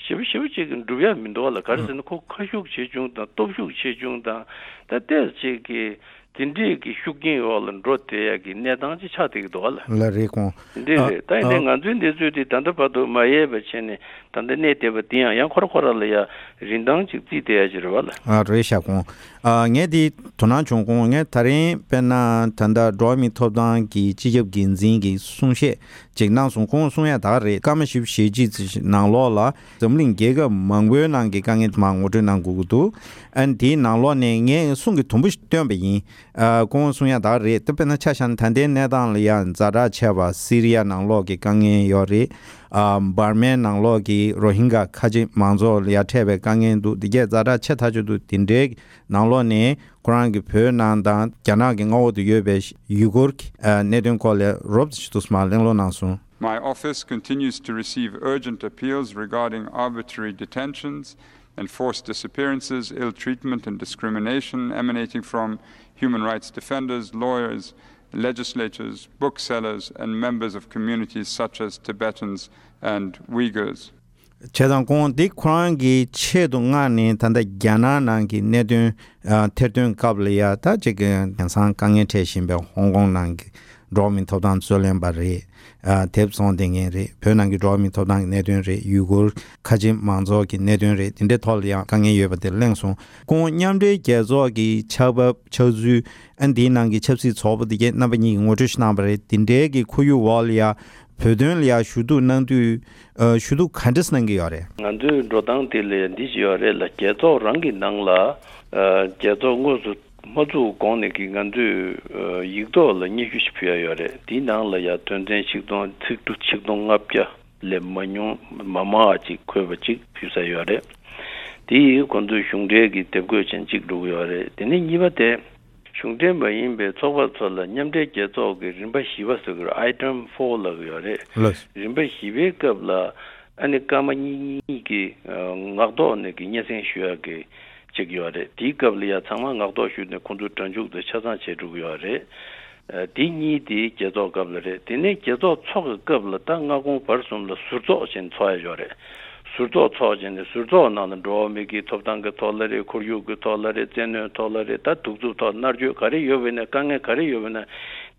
ཞེ་པོ་ཞེ་པོ་ཅིག་གི་འགྲུབ་ཡ་མི་འདུག་བ་ལ། ག་རེ་ཟེར་ན་ཁོ་ཁ་ཤུགས་ཆེ་ཆུང་དང་སྟོབས་ཤུགས་ཆེ་ཆུང་དང་ད་ལྟས་ཅིག་གི་དེ་འདྲས་ཀྱི་ཤུགས་རྐྱེན་འོག་ལ་འགྲོ་བསྡད་ཡ་གི་གནས་སྟངས་ཅིག་ཆགས་བསྡད་ཀྱི་འདུག་བ་ལ། ལ་རེད་ཁོང་། འདི་རེད། ད་ཡིན་ནའི་ང་ཚོའི་འདི་ཚོས་དེ་ད་ལྟ་བར་དུ་མ་ཡལ་བ་བྱས་ནས་ད་ལྟ་གནས་བསྡད་པ་འདི་ཡང་ཡང་ཁོ་ར་ཁོ་ར་ལ་ཡ་རིན་ཐང་ཅིག་བརྩིས་བསྡད་ཡ་ཅིག་རེད་བ་ལ། ཨ་རེད་ཤག་ཁོང་། ཨ་ངས་འདི་དོ་སྣང་བྱུང་ཁོང་། ངས་ད་རིང་དཔེར་ན་ད་ལྟ་འགྲོ་བ་མིའི་ཐོབ་ཐང་གི་སྤྱི་ཁྱབ་འགན་འཛིན་གྱི་གསུང་བཤད་ཅིག་གནང་སོང་། ཁོང་གསུང་ཡ་ད་ག་རེད། སྐར་མ་བཞི་བཅུ་ཞེ་གཅིག་ནང་ལོགས་ལ་འཛམ་གླིང་རྒྱལ་ཁབ་མང་པོའི་ནང་གི་དཀའ་ངལ་མར་ངོ་སྤྲོད་གནང་དགོས་ཀྱི་འདུག་ཨ་ནི་དེའི་ནང་ལོགས་ནས་ངས་གསུང་གི་དུམ་བུ་ཞིག་བཏོན་པ་ཡིན། ཨ་ཁོང་གསུང་ཡ་ད་ག་རེད། ད་དཔེར་ན་ཆ་བཞག་ན་ད་ལྟའི་གནས་སྟངས་ལ་ཡ་ཛ་དྲག་ཆེ་བ་སི་རི་ཡ་ནང་ལོགས་ཀྱི་དཀའ་ངལ་ཡོད་རེད། ཨ་འབར་མའི་ནང་ལོགས་ཀྱི་རོ་ཧིན་གྷ་ཁ་ཆེ་མང་ཚོགས་ལ་ཡ་འཕྲད་པའི་དཀའ་ངལ་འདུག་འདི་གས་ཛ་དྲག་ཆེ་ཐག་ཆོད་འདུག་དེ་འདྲའི་ནང་ལོགས་ནས་ཁོ་རང་གི་བོད་ནང་དང་རྒྱ་ནག་གི་མངའ་འོག་ཏུ་ཡོད་པའི་ཡུ་གུར་གྱི་ཨ་གནད་དོན་སྐོར་ལ་རོབ་ཙམ་ཞིག་ཏུ་མར་གླེང་སློང་གནང་སོང་། My office continues to receive urgent appeals regarding arbitrary detentions, enforced disappearances, ill treatment, and discrimination emanating from human rights defenders, lawyers, legislators, booksellers, and members of communities such as Tibetans and Uyghurs. བྱས་ཙང་ཁོང་འདི་ཁོ་རང་གི་ཆེད་དུ་མངགས་ནས་ད་ལྟ་རྒྱ་ནག་ནང་གི་གནད་དོན་ཨ་ཐེར་འདོན་སྐབས་ལ་ཡ་ད་ཅིག་གི་དེང་སང་དཀའ་ངལ་འཕྲད་བཞིན་པའི་ཧོང་ཀོང་ནང་གི་འགྲོ་བ་མིའི་ཐོབ་ཐང་རྩོད་ལེན་པ་རེད། ཨ་དེབ་བཙོང་བསྡད་མཁན་རེད། བོད་ནང་གི་འགྲོ་བ་མིའི་ཐོབ་ཐང་གི་གནད་དོན་རེད། ཡུ་གུར་ཁ་ཆེ་མང་ཚོགས་ཀྱི་གནད་དོན་རེད། དེ་འདྲའི་ཐོག་ལ་ཡང་དཀའ་ངལ་ཡོད་པ་དེ་གླེང་སོང་། ཁོང་མཉམ་འབྲེལ་རྒྱལ་ཚོགས་ཀྱི་ཕྱག་བབས་ཕྱག་ཚུལ་ཨ་འདིའི་ནང་གི་ཆབ་སྲིད་ཚོགས་པ་དེ་གས་རྣམ་པ་གཉིས་ཀྱིས་ངོ་སྤྲོད་ཞིག་གནང་བ་རེད། དེ་འདྲའི་གི་ཁོར་ཡུག་འོག་ལ་ཡ་བོད་དོན་ལ་ཡ་ཞུ་གཏུག་གནང་དུས་ཨ་ཞུ་གཏུག་ག་འདྲས་གནང་གི་ཡོད་རེད། ང་ཚོའི་འགྲོ་སྟངས་དེ་ལ་ཡ་འདི་ཞིག་ཡོད་རེད་ལ། རྒྱལ་ཚོགས་རང་གི་ནང་ལ་ཨ་རྒྱལ་ཚོགས་དངོས་སུ་མ་བཙུགས་གོང་ནས་ཀྱི་ང་ཚོས་ཨ་ཡིག་ཐོག་ལ་སྙན་ཞུ་ཞིག་ཕུལ་ཡ་ཡོད་རེད། དེའི་ནང་ལ་ཡ་དོན་ཚན་ཆིག་སྟོང་ཚིག་འབྲུ་ཆིག་སྟོང་ལྔ་བརྒྱ་ལས་མ་ཉུང་མ་མང་བ་ཅིག་འཁོད་པ་ཅིག་ཕུལ་ས་ཡོད་རེད། དེ་ཡིས་ཁོང་ཚོས་གཞུང་འབྲེལ་གྱི་དེབ་འགོད་ཅན་གཅིག་འགྲོ་གི་ཡོད་རེད། དེ་ནས་གཉིས་པ་དེ་ གཞུང་འབྲེལ་མ་ཡིན་པའི་ཚོགས་པ་ཚོ་ལ་མཉམ་འབྲེལ་རྒྱལ་ཚོགས་ཀྱི་རིམ་པ་བཞི་པ་ཟེར་གྱི་རེད། Item four ལབ་ཀྱི་ཡོད་རེད། ལགས། རིམ་པ་བཞི་པའི་སྐབས་ལ་ཨ་ནི་སྐར་མ་གཉིས་གཉིས་ཀྱི་ངག་ཐོག་ནས་ཀྱི་སྙན་སེང་ཞུ་ཡག་གི་ཅིག་ཡོད་རེད། དེའི་སྐབས་ལ་ཡ་ཚང་མ་ངག་ཐོག་ཞུས་ནས་ཁོང་ཚོ་སྒྲ་འཇུག་དེ་ཆ་ཚང་བྱེད་འགྲོ་གི་ཡོད་རེད། ཨ་དེ་གཉིས་དེ་རྒྱལ་ཚོགས་སྐབས་ལ་རེད། དེ་ནས་རྒྱལ་ཚོགས་ཚོགས་ཀྱི་སྐབས་ལ་ད་སྔ་དགོང་བར་གསུམ་ལ་ཟུར་ཚོགས་བྱས་ནས་ཚོགས་ཡ་ཡོད་རེད། ཟུར་ཚོགས་ཚོགས་བྱས་ནས་ཟུར་ཚོགས་ནང་ལ་འགྲོ་བ་མི་གི་ཐོབ་ཐང་གི་ཐོག་ལ་རེད། ཁོར་ཡུག་གི་ཐོག་ལ་རེད། བཙན་གནོན་ཐོག་ལ་རེད། ད་གདུག་རྩུབ་ཐོག་མནར་གཅོད་ག་རེ་ཡོད་པ་ཡིན་ན། དཀའ་ངལ་ག་རེ་ཡོད་པ་ཡིན་ན།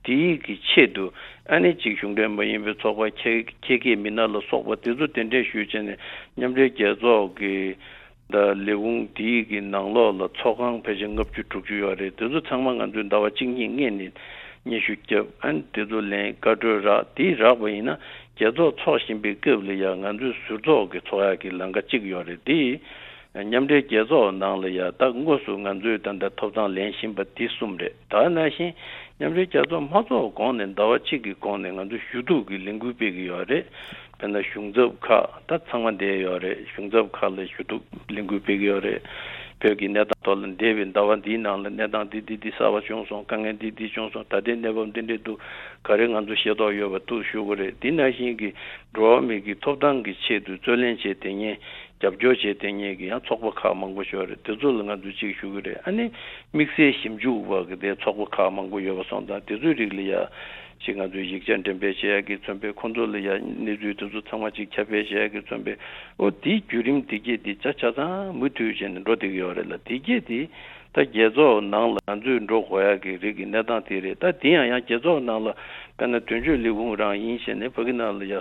དེའི་གི་ཆེད་དུ་ཨ་ནི་ཅིག་གཞུང་འབྲེལ་མ་ཡིན་པའི་ཚོགས་པ་ཁྱད་ཁྱད་མཁས་མི་སྣ་ལ་སོགས་པ་དེ་ཚོ་གདན་འདྲེན་ཞུས་བྱས་ནས་མཉམ་འབྲེལ་རྒྱལ་ཚོགས་ཀྱི་ད་ལས་ཁུངས་དེའི་གི་ནང་ལོགས་ལ་ཚོགས་ཁང་ཕལ་ཆེར་ལྔ་བཅུ་དྲུག་ཅུ་ཡོད་རེད། དེ་ཚོ་ཚང་མ་ང་ཚོས་ཟླ་བ་གཅིག་གཉིས་སྔོན་ནས་སྙན་ཞུ་བརྒྱབ། ཨ་ནི་དེ་ཚོ་ལན་བཀའ་འཁྲོལ་རག་དེ་རག་པ་ཡིན་ན་རྒྱལ་ཚོགས་ཚོགས་བཞིན་པའི་སྐབས་ལ་ཡ་ང་ཚོས་ཟུར་ཚོགས་ཀྱི་ཚོགས་ཡག་གི་ལམ་ཁ་གཅིག་ཡོད་རེད། དེ་མཉམ་འབྲེལ་རྒྱལ་ཚོགས་ནང་ལ་ཡ་ད་དངོས་སུ་ང་ཚོས་ད་ལྟ་ཐོབ་ཐང་ལེན་བཞིན་པ་དེ་གསུམ་རེད། ད་ནང་བཞིན་མཉམ་འབྲེལ་རྒྱལ་ཚོགས་མ་ཚོགས་གོང་ནས་ཟླ་བ་གཅིག་གི་གོང་ནས་ང་ཚོ་ཞུ་གཏུག་གི་ལས་འགུལ་སྤེལ་གྱི་ཡོད་རེད། དཔེར་ན་གཞུང་ཚབ་ཁག་ད་ཚང་མ་བསྡད་ཡོད་རེད། གཞུང་ཚབ་ཁག་ལ་ཞུ་གཏུག་ལས་འགུལ་སྤེལ་གྱི་ཡོད་རེད། བོད་ཀྱི་གནས་སྟངས་ཐོག་ལ་འདས་པའི་ཟླ་བ་འདིའི་ནང་ལ་གནས་སྟངས་འདི་འདི་འདི་གསར་པ་བྱུང་སོང་། དཀའ་ངལ་འདི་འདི་བྱུང་སོང་། ད་ལྟའི་གནས་བབ་འདི་འདྲས་འདུག། ག་རེ་ང་ཚོ་ཤེས་རྟོགས་ཡོད་པ་འདུག་ཞུ་དགོས་རེད། འདི་ནང་བཞིན་གྱི་འགྲོ་བ་མི་གི་ཐོབ་ཐང་གི་ཆེད་དུ་རྩོད་ལེན་བྱས་དེ་ཉིན་རྒྱབ་སྐྱོར་བྱས་དེ་ཉིན་གྱི་ཡང་ཚོགས་པ་ཁག་མང་པོ་ཞིག་ཡོད་རེད། དེ་ཚོ་ལ་ང་ཚོས་ཅིག་ཞུ་གི་རེད། ཨ་ནི་དམིགས་བསལ་ཞིབ་འཇུག་པ་གི་དེ་ཚོགས་པ་ཁག་མང་པོ་ཡོད་པ་སོང་ཙང་དེ་ཚོའི་རིགས་ལ་ཡ་ཅིག་ང་ཚོས་ཡིག་ཆ་འགྲེམས་སྤེལ་བྱེད་ཡག་གི་མཚོན་པའི་ཁོང་ཚོ་ལ་ཡ་གནས་ཚུལ་དེ་ཚོ་ཚང་མ་ཅིག་ཁྱབ་སྤེལ་བྱེད་ཡག་གི་མཚོན་པའི་ཨོ་དེའི་བརྒྱུད་རིམ་དེ་གྱད་དེ་ཆ་ཆ་ཚང་མུ་མཐུད་བྱས་ནས་འགྲོ་བསྡད་ཀྱི་ཡོད་རེད་ལ། དེ་གྱད་དེ་ད་རྒྱལ་ཚོགས་ནང་ལ་ང་ཚོས་འགྲོ་དགོས་ཡག་གི་རིགས་ཀྱི་གནས་སྟངས་དེ་རེད། ད་དེ་ཡང་ཡང་རྒྱལ་ཚོགས་ནང་ལ་དཔེར་ན་དོན་གཅོད་ལས་ཁུངས་རང་ཡིན་བྱས་ནས་ཕ་གི་ནང་ལ་ཡ་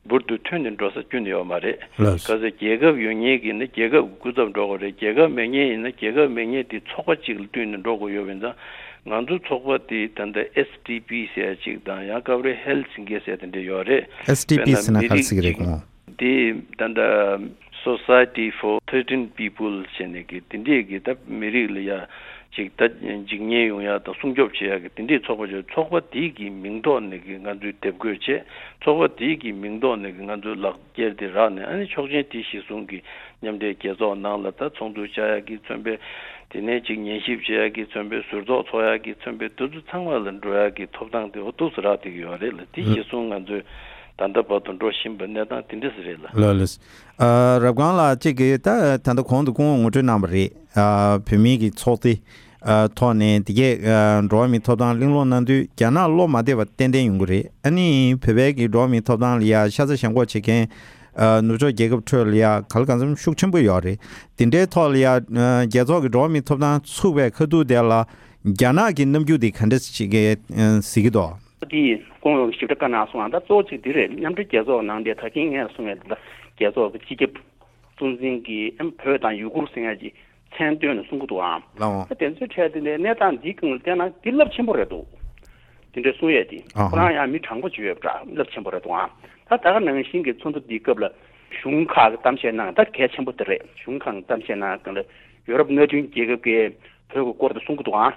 འབུར་དུ་ཐོན་ནས་འགྲོ་ས་ཁྱོན་ནས་ཡོད་མ་རེད། ལགས། ག་ཚོད་རྒྱལ་ཁབ་ཡོད་མཁན་གྱི་ནི་རྒྱལ་ཁབ་ཀྱི་སྐུ་ཚབ་འགྲོ་དགོས་རེད། རྒྱལ་ཁབ་མེད་མཁན་ཡིན་ན་རྒྱལ་ཁབ་མེད་མཁན་དེ་ཚོགས་པ་གཅིག་ལ་བསྟུན་ནས་འགྲོ་དགོས་ཡོད་པ་ཡིན་ཙང་ང་ཚོ་ཚོགས་པ་དེ་ད་ལྟ་ཨེས་ཌི་པི་ཟེར་ཡ་གཅིག་དང་ཡང་སྐབས་རེ་ཧེལ་སིང་གེ་ཟེར་དེ་འདྲ་ཡོད་རེད། ཨེས་ཌི་པི་དཔེར་ན་ཟེར་ན་མི་ག་རེ་རིགས་ཟེར་གྱི་རེད་གཅིག་གོང་། དེ་ད་ལྟ་Society for Threatened People བྱས་ནས་ཀྱི་དེ་འདྲས་ཀྱི་ད་མི་རིགས་ལ་ཡ་ཅིག་ད་འཇིགས་ཉེན་ཡོང་ཡ་དང་སྲུང་སྐྱོབ་བྱེད་ཡ་གི་དེ་འདྲས་ཚོགས་པ་ཅིག་ཚོགས་པ་དེ་གི་མིང་ཐོག་ནས་ཀྱི་ང་ཚོས་དེབ་འགོད་བྱས། ཚོགས་པ་དེ་གི་མིང་ཐོག་ནས་ཀྱི་ང་ཚོས་ལག་འཁྱེར་དེ་རག་ནས་ཨ་ནི་ཆོག་མཆན་དེ་གཞིར་བཟུང་གི་མཉམ་འབྲེལ་རྒྱལ་ཚོགས་ནང་ལ་ད་ཚོགས་འདུ་བཅར་ཡ་གི་མཚོན་པའི་དེ་ནས་ཅིག་ཉན་ཞིབ་བྱེད་ཡ་གི་མཚོན་པའི་ཟུར་ཚོགས་ཚོགས་ཡ་གི་མཚོན་པའི་དེ་ཚོ་ཚང་མ་ལ་འགྲོ་ཡ་གི་ཐོབ་ཐང་དེ་འོ་ཏོག་ཙམ་རག་བསྡད་ཀྱི་ཡོད་རེད་ལ། དེ་གཞིར་བཟུང་ང་ཚོས་ད་ལྟ་བར་དུ་འགྲོ་བཞིན་པའི་གནས་སྟངས་དེ་འདྲ་ཟིག་རེད་ལ། ལགས་ལགས། ཨ་རབ་སྒང་ལགས་གཅིག་གིས་ད་ད་ལྟ་གོང་དུ་སྐུ་ངོ་ངོ་སྤྲོད་གནང་བ་རེད། ཨ་བོད་མིའི་གི་ཚོགས་སྡེ་ཨ་ཐོག་ནས་དེ་གས་ཨ་འགྲོ་བ་མིའི་ཐོབ་ཐང་གླེང་སློང་གནང་དུས་རྒྱ་ནག་བློ་མ་བདེ་བ་ཏན་ཏན་ཡོང་གི་རེད། ཨ་ནི་བོད་པའི་གི་འགྲོ་བ་མིའི་ཐོབ་ཐང་ལ་ཡ་ཤ་ཚ་ཞེན་ཁོག་བྱེད་མཁན་ཨ་ནུབ་ཕྱོགས་རྒྱལ་ཁབ་ཁྲོད་ལ་ཡ་ག་ལ་གང་འཚམ་ཤུགས་ཆེན་པོ་ཡོད་རེད། དེ་འདྲའི་ཐོག་ལ་ཡ་ཨ་རྒྱལ་ཚོགས་ཀྱི་འགྲོ་བ་མིའི་ཐོབ་ཐང་ཚུགས་པའི་ཁ་ཐུག་དེ་ལ་རྒྱ་ནག་གི་རྣམ་འགྱུར་དེ་ག་འདྲ་ཞིག་གི་ཨ་གཟིགས་ཀྱི་འདུག། དེ་ཡིན་སྐུ་ངོ་ཞིབ་ཕྲ་བཀའ་གནང་སོང་ང་། ད་གཙོ་བོ་གཅིག་འདི་རེད། མཉམ་འབྲེལ་རྒྱལ་ཚོགས་ནང་དེ་ད་གིན་ངས་གསུངས་ཡས་འདི་ད་རྒྱལ་ཚོགས་ཀྱི་སྤྱི་ཁྱབ་གཙོ་འཛིན་གྱིས་ཨེམ་བོད་དང་ཡུ་གུར་ཟེར་ཡས་ཀྱི་མཚན་བཏོན་ནས་གསུང་གི་འདུག་ཨང་། ལགས་འོང་། ད་དེ་ཚོའི་གྲས་དེ་ནས་གནས་སྟངས་འདིའི་སྒང་ལ་བལྟས་ན་འདི་རླབས་ཆེན་པོ་རེད་འདུག། དེ་འདྲའི་གསུང་ཡས་དེ་ཨ་ཧ། ཁོ་རང་ཡང་མི་དྲང་པོ་ཅིག་ཡོད་པ་འདྲ། རླབས་ཆེན་པོ་རེད་འདུག་ཨང་། ད་ད་ག་ནང་བཞིན་གྱི་ཚོགས་འདུ་འདིའི་སྐབས་ལ་གཞུང་ཁག་གི་གཏམ་བཤད་གནང་ད་གལ་ཆེན་པོ་དེ་རེད། གཞུང་ཁག་གི་གཏམ་བཤད་གནང་སྒང་ལ་ཡོ་རོབ་མནའ་མཐུན་རྒྱལ་ཁབ་ཀྱིས་བོད་ཀྱི་སྐོར་དུ་གསུང་གི་འདུག་ཨང་།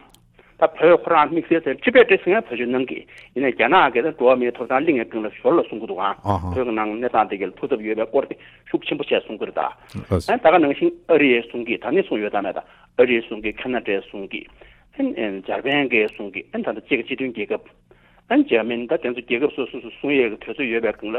ད་བོད་ཁོ་རང་དམིགས་བསལ་ཚན་ཁྲི་པད་ཏི་ཟེར་མཁན་བོད་ཆས་གནང་གི་ཡིན་ནའི་རྒྱ་ནག་གིས་ད་འགྲོ་བ་མིའི་ཐོབ་ཐང་གླེང་ཡས་སྒང་ལ་ཞོར་ལ་གསུང་གི་འདུག་ཨང་། ཨ་ཧ། བོད་ཀྱི་ནང་གནས་སྟངས་དེ་གའི་ཐུགས་འཚབ་ཡོད་པའི་སྐོར་དེ་ཤུགས་ཆེན་པོ་བྱས་གསུང་གི་རེད་ད། ལགས་སོ། ཨ་ད་ག་ནང་བཞིན་ཨ་རི་ཡས་གསུང་གི་ད་ནི་གསུང་ཡོད་ད་མེད་ད། ཨ་རི་གསུང་གི་ཁ་ན་ཌས་གསུང་གི་ཨ་འཇར་པན་གྱིས་གསུང་གི་ཨ་ད་ལྟ་ཅིག་སྤྱི་མཐུན་རྒྱལ་ཁབ་ཨ་འཇར་མན་ད་དེ་ཚོ་རྒྱལ་ཁབ་སོ་སོ་སོ་གསུང་ཡས་ཀྱི་དུས་ཚོད་ཡོད་པའི་སྒང་ལ་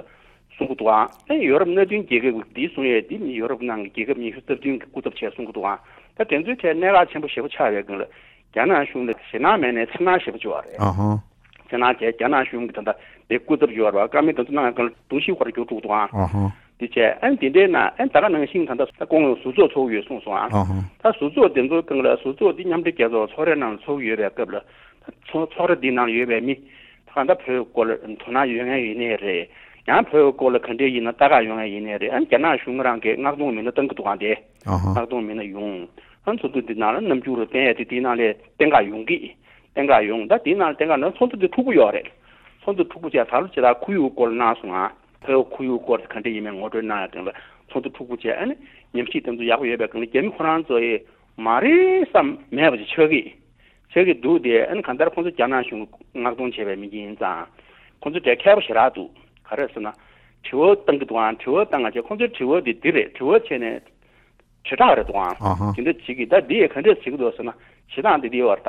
གསུང་གི་འདུག་ཨང་། ཨ་ཡོ་རོབ་མནའ་མཐུན་རྒྱལ་ཁབ་ཀྱིས་འདི་གསུང་ཡས་འདི་ཡོ་རོབ་ནང་གི་རྒྱལ་ཁབ་ཉི་ཤུ་རྩ་བདུན་གྱིས་སྐུ་ཚབ་བྱས་གསུང་གི་འདུག་ཨང་། ད་དེ་ཚོའི་གྲས་གནད་འགག་ཆེན་པོ་ཞེ་པོ་ཆགས་པའི་སྒང་ལ། རྒྱ་ནག་གཞུང་ལ་ཞེད་སྣང་མེད་ནའི་འཚེར་སྣང་ཞེ་པོ་བྱུང་བ་རེད། ཨ་ཧ། འཚེར་སྣང་བྱས་རྒྱ་ནག་གཞུང་གིས་ད་ལྟ་དེ་སྐུ་ཚབ་ཡོད་རེད་བ། བཀའ་མོལ་དེ་ཚོ་གནང་ཡག་སྒང་ལ་གདུང་ཤུགས་ཁོ་རང་འགྱུར་འགྲོ་གི་འདུག་ཨང་། ཨ་ཧ། དེ་བྱས་ཨ་ནི་དེ་འདྲའི་ནང་ཨ་ནི་ད་ག་ནང་བཞིན་ད་ལྟ་ད་སྐུ་ངོས་ཟུར་ཚོགས་ཚོགས་ཀྱི་ཡོད་གསུངས་སོང་ཨང་། ཨ་ཧ། ད་ཟུར་ཚོགས་དེ་ཚོའི་སྒང་ལ་ཟུར་ཚོགས་འདི་མཉམ་འབྲེལ་རྒྱལ་ཚོགས་ཚོགས་རའི་ནང་ཚོགས་ཀྱི་ཡོད་པའི་སྐབས་ལ་ད་ཚོགས་ཚོགས་ར་འདི་ནང་ཡོད་པའི་མི་ད་ག་ད་བོད་སྐོར་ལ་དོ་སྣང་ཡོད་མཁན་ཡིན་ནའི་རེད། ཡང་བོད་སྐོར་ལ་ག་འདྲས་ཡིན་ན་ལྟ་ག་ཡོང་ཡ་ཡིན་ནའི་རེད། ཨ་ནི་རྒྱ་ནག་གཞུང་རང་གིས་མངགས་གཏོང་མི་སྣ་བཏང་གི་འདུག་ཨང་དེ། ཨ་ཧ། མངགས་གཏོང་མི་སྣ་ཡོང་། ཨ་ནི་ཚོགས་འདུ་འདི་ནང་ལ་རྣམ་འགྱུར་བསྟན་ཡ་དེ་དེའི་ནང་ལས་བསྟན་ག་ཡོང་གི། བསྟན་ག་ཡོང་། ད་དེའི་ནང་ལ་བསྟན་ག་ན་ཚོགས་འདུ་འདི་འཁྲུག་པོ་ཡོད་རེད། ཚོགས་འདུ་འཁྲུག་པོ་བྱས་ད་ལོ་ཇི་ལྟར་ཁོར་ཡུག་སྐོར་གནང་སོང་ང་། བོད་ཁོར་ཡུག་སྐོར་དེ་ག་འདྲ་ཡིན་མིན་ངོ་སྤྲོད་གནང་ཡ་སྟེང་ལ་ཚོགས་འདུ་འཁྲུག་པོ་བྱས། ཨ་ནི་ཉམས་ཞིབ་དེ་ཚོ་ཡག་པོ་ཡོད་པའི་སྒང་ལ་རྒྱ་མི་ཁོ་རང་ཚོ་ཡི་མ་རེད་བསམ་མེད་པ་ཅིག་ཆགས་ཀྱི། ཆགས་ཀྱི་འདུག་སྟེ། ཨ་ནི་གང་ལྟར་ཁོང་ཚོ་རྒྱ་ནག་གཞུང་མངགས་གཏོང་བྱས་པའི་མི་ཡིན་ཙང་། ཁོང་ཚོ་གྲས་མཁས་པོ་ཞེ་དྲག་འདུག། ག་རེ་ཟེར་ན། དྲི་བ་བཏང་གི་འདུག་ཨང་། དྲི་བ་བཏང་ང་བྱས་ཁོང་ཚོའི་དྲི་བ་འདི་འདི་རེད། དྲི་བ་བྱས་ནས་དྲིལ་བསྒྲགས་རེད་འདུག་ཨང་། ཨ་ཧ། དེ་འདྲ་བྱེད་ཀྱི། ད་འདི་ཡས་ག་འདྲས་བྱེད་ཀྱི་འདུག་ཟེར་ན། བྱེད་སྟངས་འདི་འདི་ཡོད་རེད་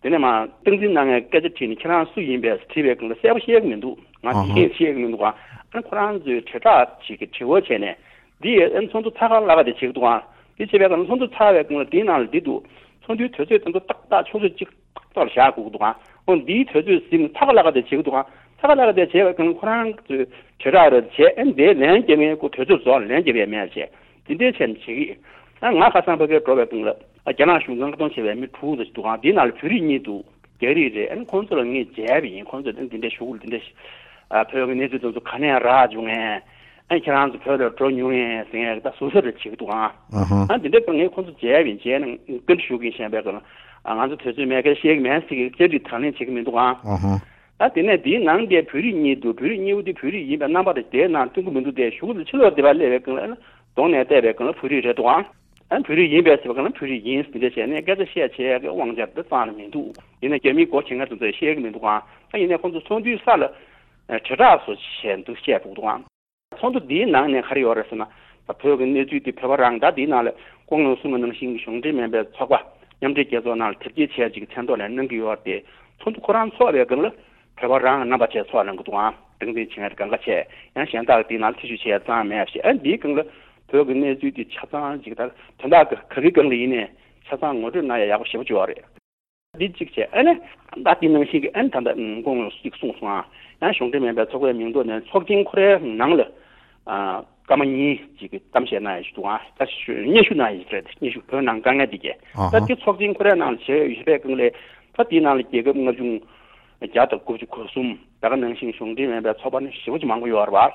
ད། དེ་ནས་མར་སྟངས་འཛིན་གནང་མཁན་སྐད་ཆ་དྲིས་ནས་ཁྱེད་རང་སུ་ཡིན་པས་དྲིས་པའི་སྒང་ལ་གསལ་པོ་ཤེས་ཀྱི་མི་འདུག་ང་ཨ་ཧ། དེ་ཤེས་ཀྱི་མི་འདུག་ཨ་ནི་ཁོ་རང་ཚོས་དྲིལ་བསྒྲགས་ཅིག་གི་དྲི་བ་བྱས་ནས། འདི་ཨ་ནི་ཚོགས་འདུ་ཚ་ཁ་བརླག་ག་དེ་བྱེད་ཀྱི་འདུག་ཨ། འདི་བྱེད་པའི་སྒང་ལ་ཚོགས་འདུ་ཚར་བའི་སྒང་ལ་འདིའི་ནང་ལ་འདི་འདུག་ཚོགས་འདུའི་དུས་ཚོད་དེ་ཚོ་ཏག་ཏག་ཆུ་ཚོད་གཅིག་ཏག་ཏག་ལ་བཞག་དགོས་ཀྱི་འདུག་ཨ། འོ་འདིའི་དུས་ཚོད་ཟིན་ཚ་ཁ་བརླག་ག་དེ་བྱེད་ཀྱི་འདུག་ཨ། ཚ་ཁ་བརླག་ག་དེ་བྱེད་པའི་སྒང་ལ་ཁོ་རང་ཚོས་དྲིལ་བསྒྲགས་རེ་བྱས། ཨ་ནི་དེའི་ལན་རྒྱག་མཁན་ཁོ་དུས་ཚོད་རྫོགས་ལན་རྒྱག་པའི་མེད་བྱས། འདི་འདྲའི་བྱས་ནས་བྱེད་ཀྱི་ཡོད། ཨ་ང་ཁ་སང་ཕ་གིར་འགྲོ་བའི་སྒང་ལ་ཨ་རྒྱ་ནག་གཞུང་ལ་བཀག་སྡོམ་བྱས་པའི་མི་དྲུག་ཙམ་ཞིག་འདུག་ཨ། འདིའི་ནང་ལ་བོད་རིགས་གཉིས་འདུག་རྒྱ་རིགས་རེད། ཨ་ནི་ཁོང་ཚོ་ལ་ངས་མཇལ་བ་ཡིན། ཁོང་ཚོས་འདི་འདྲའི་ཞུ་གི་འདི་འདྲའི་ཨ་བོད་ཀྱི་གནས་ཚུལ་དེ་ཚོ་ག་ནས་རག་བྱུང་ངས། ཨ་ཁྱེད་རང་ཚོ་བོད་ལ་འགྲོ་མྱོང་ངས་ཟེར་ངས་ད་ཟུར་ཟ་རེ་བྱེད་ཀྱི་འདུག་ཨ། ཨ་ཧ། ཨ་འདི་འདྲ་ངས་ཁོང་ཚོ་མཇལ་བ་ཡིན། མཇལ་ནས་བཀའ་འདྲི་ཞུ་གི་ཡིན། གཞན་པའི་སྒང་ལ་ཨ་ང་ཚོ་དུས་ཚོད་མེད་ཁར་བཤད་ཀྱི་མེད་ཟེར་གྱི་བཅར་འདྲི་དང་ལེན་བྱེད་ཀྱི་མི་འདུག་ཨ། ཨ་ཧ། ཨ་དེ་ནས་འདིའི་ནང་དེ་བོད་རིགས་གཉིས་འདུག་བོད་རིགས་གཉིས་པོ་དེ་བོད་རིགས་ཡིན་པའི་རྣམ་པ་དེ་དེའི་ནང་སྟོན་གྱི་མི་འདུག་དེ་གཞུག་ལ་ཕྱི་ལོགས་སྡེ་པ་སླེབས་པའི་སྒང་ལ་ཨ་ནི་གདོང་ནས་བལྟས་པའི་སྒང་ལ་བོད་རིགས་རེད་འདུག་ཨ། ཨ་བོད་རིགས་ཡིན་པས་ཟེར་བའི་སྒང་ལ་བོད་རིགས་ཡིན་ཟེར་འདི་འདྲ་བྱས་ནས་སྐད་ཆ་བཤད་བྱས་ཀྱི་དབང་ཆ་འདི་རྩ་ནས་མི་འདུག་ཡིན་ན་རྒྱ་མིའི་སྒོ་ཕྱེ་མཁན་དེ་ཚོས་བཤད་ཀྱི་མི་འདུག་ཨ། ད་ཡིན་ནའི་ཁོང་ཚོ་ཚོགས་འདུའི་ས་ལ་ཨ་དྲིལ་བསྒྲགས་སོགས་བྱས་འདུག་བཤད་འདུག་འདུག་ཨ། ཚོགས་འདུ་འདིའི་ནང་ནས་ག་རེ་ཡོད་རེད་ཟེར་ན། ད་བོད་ཀྱི་གནས་ཚུལ་འདི་བོད་པ་རང་ད་འདིའི་ནང་ལ་སྐུ་ངོས་གསུངས་པ་ནང་བཞིན་གྱི་གཞུང་འབྲེལ་མིན་པའི་ཚོགས་པ་མཉམ་འབྲེལ་རྒྱལ་ཚོགས་ནང་ལ་དེབ་སྐྱེལ་བྱས་ཅིག་མཚན་ཐོག་ནས་གནང་གི་ཡོད་རེད་དེ། ཚོགས་འདུ་ཁོ་རང་ཚོགས་པའི་སྒང་ལ་བོད་པ་རང་གི་རྣམ་པ་བྱས་ཚོགས་གནང་གི་འདུག་ཨང་། སྟངས་འཛིན་བྱེད་མཁན་གང་ག་བྱས། ཡང་གཞན་དག་འདིའི་ནང་ལ་ཐེ་ཇུས་བྱས་ཡ་ཙང་མེད་ཞེས། ཨ་འདིའི་སྒང་ལ་བོད་ཀྱི་གནས་ཚུལ་འདི་ཆ་ཚང་ཅིག་ད་དོན་དག་གི་ག་གི་སྒང་ལ་ཡིན་ནའི་ཆ་ཚང་ངོ་སྤྲོད་གནང་ཡ་ཡག་པོ་ཞེ་པོ་ཅིག་ཡོད་རེད། འདི་གཅིག་བྱས། ཨ་ནི་ད་འདི་ནང་བཞིན་གྱི་ཨ་ནི་ད་ལྟ་ཨུམ་སྐུ་ངོས་གཅིག་གསུངས་སོང་ཨ། ཡང་གཞུང་འབྲེལ་མིན་པའི་ཚོགས་པའི་མིང་ཐོག་ནས་ཚོགས་ཆེན་ཁོ་རའི་ནང་ལ་ཨ་སྐར་མ་གཉིས་ཅིག་གི་གཏམ་བཤད་གནང་ཡ་ཞིག་འདུག་ཨ། ད་ཞུ་སྙན་ཞུ་གནང་ཡ་ཞིག་རེད། སྙན་ཞུ་བོད་ནང་དཀའ་ངལ་འདི་གས། ཨ་ད་ཧ། འདི་ཚོགས་ཆེན་ཁོ་རའི་ནང་ལ་བྱས་ཡོད་པའི་སྒང་ལས་ད་འདིའི་ནང་ལ་རྒྱལ་ཁབ་ལྔ་བཅུ་ང་བརྒྱ་དང་དགུ་བཅུ་གོ་གསུམ་ད་ག་ནང་བཞིན་གཞུང་འབྲེལ་མིན་པའི་ཚོགས་པ་ནི་ཞེ་པོ་ཅིག་མང་པོ་ཡོད་རེད་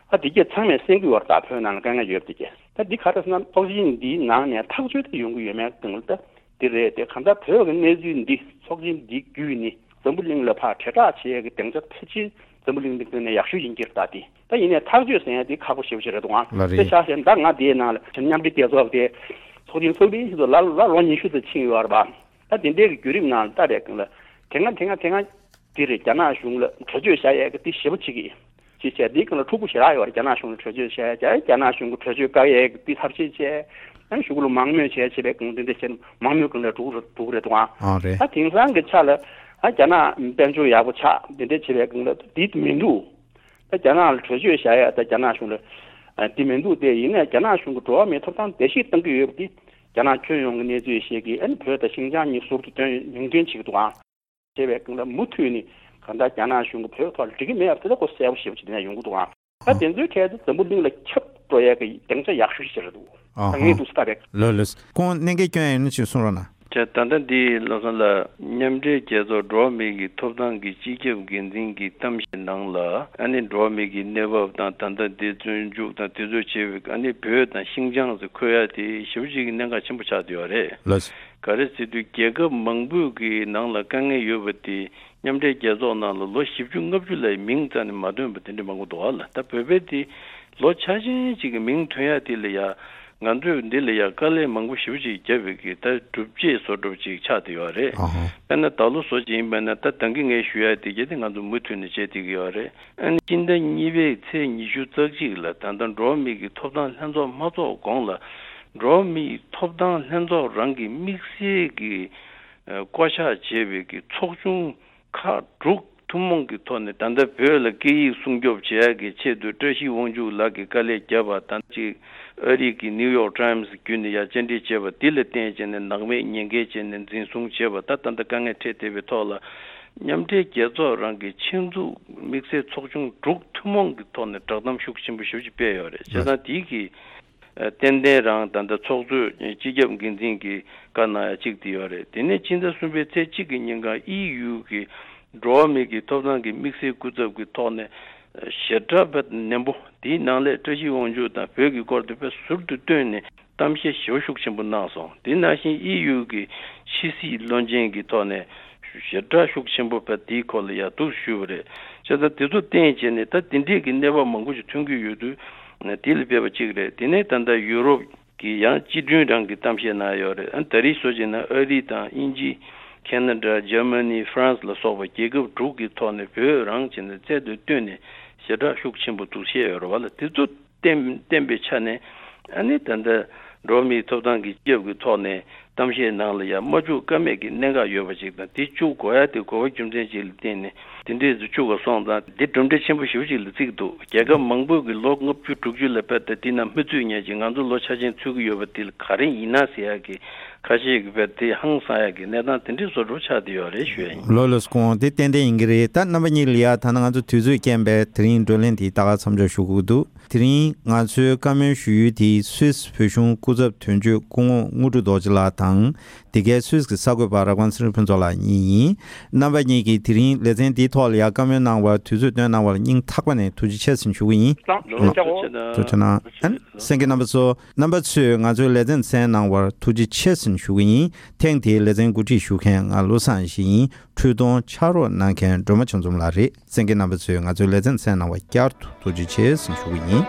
བ། ད་འདི་གས་ཚང་མས་གསན་གྱི་ཡོད་རེད། ད་བོད་ནང་ལ་དཀའ་ངལ་ཡོད་པ་འདི་གས། ད་འདི་ག་རེ་ཟེར་ན་ཚོགས་ཆེན་འདིའི་ནང་ནས་ཐག་གཅོད་དེ་ཡོང་གི་ཡོད་མེད་སྒང་ལ་ད། འདི་རེད་དེ། གང་ལྟར་བོད་ཀྱི་གནས་ཚུལ་འདི་ཚོགས་ཆེན་འདི་བརྒྱུད་ནས་འཛམ་བུ་གླིང་ལ་ཕར་དྲིལ་བསྒྲགས་བྱེད་ཡས་ཀྱི་སྡིངས་ཆ་ཕལ་ཆེར་འཛམ་བུ་གླིང་འདི་ཀུན་ནས་ཡག་ཤོས་ཡིན་གྱི་རེད། ད་འདི་ད་ཡིན་ནའི་ཐག་གཅོད་ཟེར་ཡས་འདི་ཁག་པོ་ཞེ་པོ་ཅིག་རེད་འདུག་ཨང་། ལགས་རེད། དཔེ་ཆ་བཞག་ན་ད་ང་འདིའི་ནང་ལ་མཉམ་འབྲེལ་རྒྱལ་ཚོགས་དེ་ཚོགས་ཆེན་ཚོགས་པའི་ཕྱིན་ཚོ་ལ་ལ་ལོ་ཉི་ཤུ་ཙམ་ཕྱིན་ཡོད་རེད་པ། ད་འདི་འདྲའི་གི་བརྒྱུད་རིམ་ནང་ལ་ལྟ་བའི་སྒང་ལ་དེ་སྔ་དེ་སྔ་དེ་སྔ་འདི་རེད། རྒྱ་ནག་གཞུང་ལ་གྲོས་ཆོད་བཞག་ཡས་ཀྱི་འདི་ཞེ་པོ་ཅིག་གི་ཅེས་བྱས། འདིའི་སྒང་ལ་འཁྲུག་པོ་ཞེ་དྲག་ཡོད་རེད། རྒྱ་ནག་གཞུང་ལ་གྲོས་ཆོད་བཞག་ཡས། རྒྱ་རྒྱ་ནག་གཞུང་གི་གྲོས་ཆོད་བཀག་ཡས་ཀྱི་འདི་ཐབས་ཤེས་བྱས། ཨ་ནི་གཞུག་གུ་ལ་མང་མོས་བྱས་བྱས་པའི་སྒང་འདི་འདྲ་བྱས་ནས་མང་མོས་སྒང་ལ་འགྲོ་གི་རེད། འགྲོ་གི་རེད་འདུག་ཨང་། ཨ་རེད། ད་དེང་སང་གི་ཆ་ལ་ཨ་རྒྱ་ནག་དཔལ་འབྱོར་ཡག་པོ་ཆགས་འདི་འདྲ་བྱས་པའི་སྒང་ལ་འདི་མི་འདུག་ད་རྒྱ་ནག་ལ་གྲོས་ཆོད་བཞག་ཡས་ད་རྒྱ་ནག་གཞུང་ལ་ཨ་འདི་མི་འདུག་སྟེ། ཡིན་ནའི་རྒྱ་ནག་གཞུང་གི་འགྲོ་བ་མིའི་ཐོབ་ཐང་བརྡལ་བཤིག་བཏང་གི་ཡོད་པ་འདི་རྒྱ་ནག་ཁྱོན་ཡོངས་ཀྱི་གནས་ཚུལ་ཤེས་ཀྱི། ཨ་ནི་བོད་དང་ཤིན་ཅང་གཉིས་ཟུར་དུ་སྟོན་མིང་འདོན་བྱེད་ཀྱི་འདུག་ཨང་། བྱས་པའི་སྒང་ལ་མུ་མཐུད་ནས་གང་ལྟར་རྒྱ་ནག་གཞུང་གིས་བོད་ཐོག་ལ་འགྲིག་གི་མེད་པ་དེ་ལ་ཁོ་གསལ་པོ་ཞེ་པོ་ཅིག་དེ་ནས་ཡོང་གི་འདུག་ཨང་། ད་དེ་ཚོའི་གྲས་དེ་འཛམ་བུ་གླིང་ལ་ཁྱབ་འགྲོ་ཡས་ཀྱི་སྡིངས་ཆ་ཡག་ཤོས་ཤིག་རེད་འདུག་ཨ་ད་ངས་འདུག་སེ་ལྟ་བས། ལོས་ལོས། ཁོང་གནད་འགག་སྐྱོན་ཡོད་ན་ཅིག་གསུང་རོགས་གནང་། བྱས། ད་ལྟ་འདི་ལམ་སང་ལ་མཉམ་འབྲེལ་རྒྱལ་ཚོགས་འགྲོ་བ་མིའི་གི་ཐོབ་ཐང་གི་སྤྱི་ཁྱབ་འགན་འཛིན་གྱི་གཏམ་བཤད་ནང་ལ་ཨ་ནི་འགྲོ་བ་མིའི་གི་གནས་བབ་དང་ད་ལྟ་འདི་བཙོན་འཇུག་དང་དེ་ཚོ་བྱས་པའི་ཨ་ནི་བོད་དང་ཤིན་ཅང་ཟེར་འཁོད་ཡ་དེ་ཞེ་པོ་ཅིག་གི་གནད་འགག་ཆེན་པོ་ཆགས་བསྡད་ཡོད་རེད། ལགས། ག་རེ་ཟེར་དུས་རྒྱལ་ཁབ་མང་པོའི་གི་ནང་ལ་དཀའ་ངལ་ཡོད་པ་དེ་མཉམ་འབྲེལ་རྒྱལ་ཚོགས་ནང་ལ་ལོ་བཞི་བཅུ་ལྔ་བཅུ་ལ་མིང་རྩ་ནས་མ་ཐོན་པ་དེ་འདྲ་མང་པོ་འདུག་ཨ་ལ། ད་བོད་པའི་དེ་ལོ་ཆ་ཆེན་ཅིག་གི་མིང་ཐོན་ཡ་དེ་ལ་ཡ་ང་ཚོས་འདི་ལ་ཡ་དཀའ་ལས་མང་པོ་ཞེ་པོ་ཅིག་བརྒྱབ་པའི་གི་ད་སྒྲུབ་བྱེད་བཟོ་འདྲ་ཅིག་ཆགས་བསྡད་ཡོད་རེད། ཨ་ཧ། དཔེར་ན་ད་ལོ་བཟོ་ཅིག་ཡིན་པ་ན་ད་ད་གིན་ངས་ཞུ་ཡ་དེ་གྱད་དེ་ང་ཚོ་མུ་མཐུད་ནས་བྱེད་བསྡད་ཀྱི་ཡོད་རེད། ཨ་ནི་སྤྱི་ཟླ་གཉིས་པའི་ཚེས་ཉི་ཤུ་རྩ་གཅིག་ལ་ད་ལྟ་འགྲོ་བ་མི་གི་ཐོབ་ཐང་ལྷན་ཚོགས་མ་ཚོགས་གོང་ལ་འགྲོ་བ་མིའི་ཐོབ་ཐང་ལྷན་ཚོགས་རང་གི་དམིགས་བསལ་གྱི་ཨ་བསྐོ་བཞག་བྱས་པའི་གི་ཚོགས་ཆུང་ཁག་དྲུག་ཐུན་མོང་གི་ཐོག་ནས། ད་ལྟ་བོད་ལ་སྐད་ཡིག་སྲུང་སྐྱོབ་བྱེད་ཡག་གི་ཆེད་དུ་བཀྲ་ཤིས་དབང་ཕྱུག་ལགས་ཀྱིས་དཀའ་ལས་བརྒྱབ་པ་དང་གཅིག་ཨ་རི་གི་ནིའུ་ཡོག་ཊའིམ་སི་བརྒྱུད་ནས་ཡར་བཅར་འདྲི་བྱས་པ་འདི་ལ་བརྟེན་བྱས་ནས་ནང་མི་ཉེན་ཁའི་བྱས་ནས་འཛིན་བཟུང་བྱས་པ། ད་ད་ལྟ་དཀའ་ངལ་འཕྲད་བསྡད་པའི་ཐོག་ལ་མཉམ་འབྲེལ་རྒྱལ་ཚོགས་རང་གི་ཆེད་འཛུགས་དམིགས་བསལ་ཚོགས་ཆུང་དྲུག་ཐུན་མོང་གི་ཐོག་ནས་བསྒྲགས་གཏམ་ཤུགས་ཆེན་པོ་ཞེ་པོ་ཅིག་སྤེལ་ཡོད་རེད། བྱས་ཙང་དེའི་གི་ཨ་ཏན་ཏན་རང་ད་ལྟ་ཚོགས་གཙོས་སྤྱི་ཁྱབ་འགན་འཛིན་གྱིས་བཀའ་གནང་ཡ་གཅིག་དེ་ཡོད་རེད། དེ་ནས་ཕྱི་ཟླ་གསུམ་པའི་ཚེས་གཅིག་གི་ཉིན་གང་ཨི་ཡུ་གི་འགྲོ་བ་མི་གི་ཐོབ་ཐང་གི་དམིགས་བསལ་སྐུ་ཚབ་ཀྱི་ཐོག་ནས་ཞེ་དྲག་བས་ནན་པོ། དེའི་ནང་ལས་བཀྲ་ཤིས་དབང་ཕྱུག་དང་བོད་ཀྱི་སྐོར་དེ་བས་ཟུར་དུ་བཏོན་ནས་གཏམ་བཤད་ཞེ་པོ་ཤུགས་ཆེན་པོ་གནང་སོང་། དེ་ནང་བཞིན་ཨི་ཡུ་གི་ཕྱི་སྲིད་བློན་ཆེན་གྱི་ཐོག་ནས་ཞེ་དྲག་ཤུགས་ཆེན་པོ་བས་དེའི་སྐོར་ལ་ཡར་འདུག་ཞུས་པ་རེད། བྱས་ཙང་དེ་ཚོ་བརྟེན་བྱས་ནས་ད་དེ་འདྲས་ཀྱི་གནས་བབ་མང་པོ་ཞིག་ཐོན་གྱི་ཡོད་དུས་དེ་ལ་ཕེབས་པ་གཅིག་རེད། དེ་ནས་ད་ལྟ་ཡུ་རོབ་ཀྱི་ཡང་སྤྱི་མགྲོན་རང་གི་གཏམ་བཤད་གནང་ཡོད་རེད། ཨ་ད་རེས་བཟོ་བྱས་ན་ཨ་རི་དང་དབྱིན་ཇི། ཁེ་ན་ཌ། འཇར་མ་ནི། ཧྥ་རན་སི་ལ་སོགས་པ་རྒྱལ་ཁབ་དྲུག་གི་ཐོག་ནས་བོད་རང་བྱས་ནས་རྩལ་དུ་བཏོན་ནས་ཞེ་དྲག་ཤུགས་ཆེན་པོ་འདུག་བཤད་ཡོད་རེད་བ་ལ། དེ་ཚོ་བསྟན་བསྟན་པའི་ཆ་ནས་ཨ་ནི་ད་ལྟ་འགྲོ་བ་མིའི་ཐོབ་ཐང་གི་སྐྱབས་ཀྱི་ཐོག་ནས་ གཏམ་བཤད་ནང་ལ་ཡང་མ་བཅུག་ཀ་མེད་ཀྱི་གནད་འགག་ཡོད་པ་ཅིག་དང་། དེ་བཅུག་དགོས་ཡ་དེ་གོ་བ་རྒྱུ་མཚན་ཅིག་ལ་བརྟེན་ནས་དེ་འདྲས་སུ་བཅུག་པ་སོང་ཙང་། འདི་གྲུབ་འབྲས་ཆེན་པོ་ཞེ་པོ་ཅིག་ལ་བརྩི་གི་འདུག་རྒྱལ་ཁབ་མང་པོས་ཀྱི་ལོ་ལྔ་བཅུ་དྲུག་ཅུ་ལ་བལྟས་ཏེ་དེ་ནང་མི་ཚུད་མཁན་ཅིག་ང་ཚོ་ལོ་ཆ་ཆེན་ཚུད་ཀྱི་ཡོད་པ་དེ་ལ་ག་རེ་ཡིན་ན་ཟེར་ཡ་གི་ཁ་ཤས་ཀྱིས་བལྟས་ཏེ་ཧང་སང་ཡ་གི་གནས་སྟངས་དེ་འདྲས་བཟོ་འདྲ་ཆགས་བསྡད་ཡོད་རེད་ཞུ་ཡ་ཡིན། ལགས་ལགས་སོ། དེ་ཏན་ཏན་ཡིན་གྱི་རེད། ད་རྣམ་པ་གཉིས་ལ་ཡ་ད་ནི་ང་ཚོ་དུས་ཚོད་རྐྱེན་པས་དེ་རིང་བགྲོ་གླེང་དེ་ད་ག་མཚམས་འཇོག་ཞུ་དགོས་ཀྱི་འདུག་དེ་རིང་ང་ཚོའི་བཀའ་མོལ་ཞུ་ཡུལ་དེ་སུད་སི་བོད་གཞུང་སྐུ་ཚབ་དོན་གཅོད་སྐུ་ངོ་དངོས་གྲུབ་རྡོ་རྗེ་ལགས་དང་། འདི་གའི་སུད་སི་གི་གསར་འགོད་པ་རབ་དགའ་ཚེ་རིང་ཕུན་ཚོགས་ལགས་གཉིས་ཡིན། རྣམ་པ་གཉིས་ཀྱིས་དེ་རིང་ལེ་ཚན་འདིའི་ཐོག་ལ་ཡང་བཀའ་མོལ་གནང་བར་དུས་ཚོད་བཏོན་གནང་བར་སྙིང་ཐག་པ་ནས་ཐུགས་རྗེ་ཆེ་ཟེར་ཞུ་གི་ཡིན། ཐུགས་རྗེ་ཆེ་གནང་། ཐུགས་རྗེ་ཆེ་གནང་། ཨན། གསན་མཁན་རྣམ་པ་ཚོ། རྣམ་པ་ཚོས་ང་ཚོའི་ལེ་ཚན་གསན་གནང་བར་ཐུགས་རྗེ་ཆེ་ཟེར་ཞུ་གི་ཡིན། ཐེངས་འདིའི་ལེ་ཚན་གོ་སྒྲིག་ཞུ་མཁན་ང་བློ་བཟང་ཡེ་ཤེས་ཡིན། འཕྲུལ་གཏོང་ཕྱག་རོགས་གནང་མཁན་སྒྲོལ་མ་ཆོས་འཛོམས་ལགས་རེད། གསན་མཁན་རྣམ་པ་ཚོས་ང་ཚོའི་ལེ་ཚན་གསན་གནང་བར་བསྐྱར་དུ་ཐུགས་རྗེ་ཆེ་ཟེར་ཞུ་གི་ཡིན།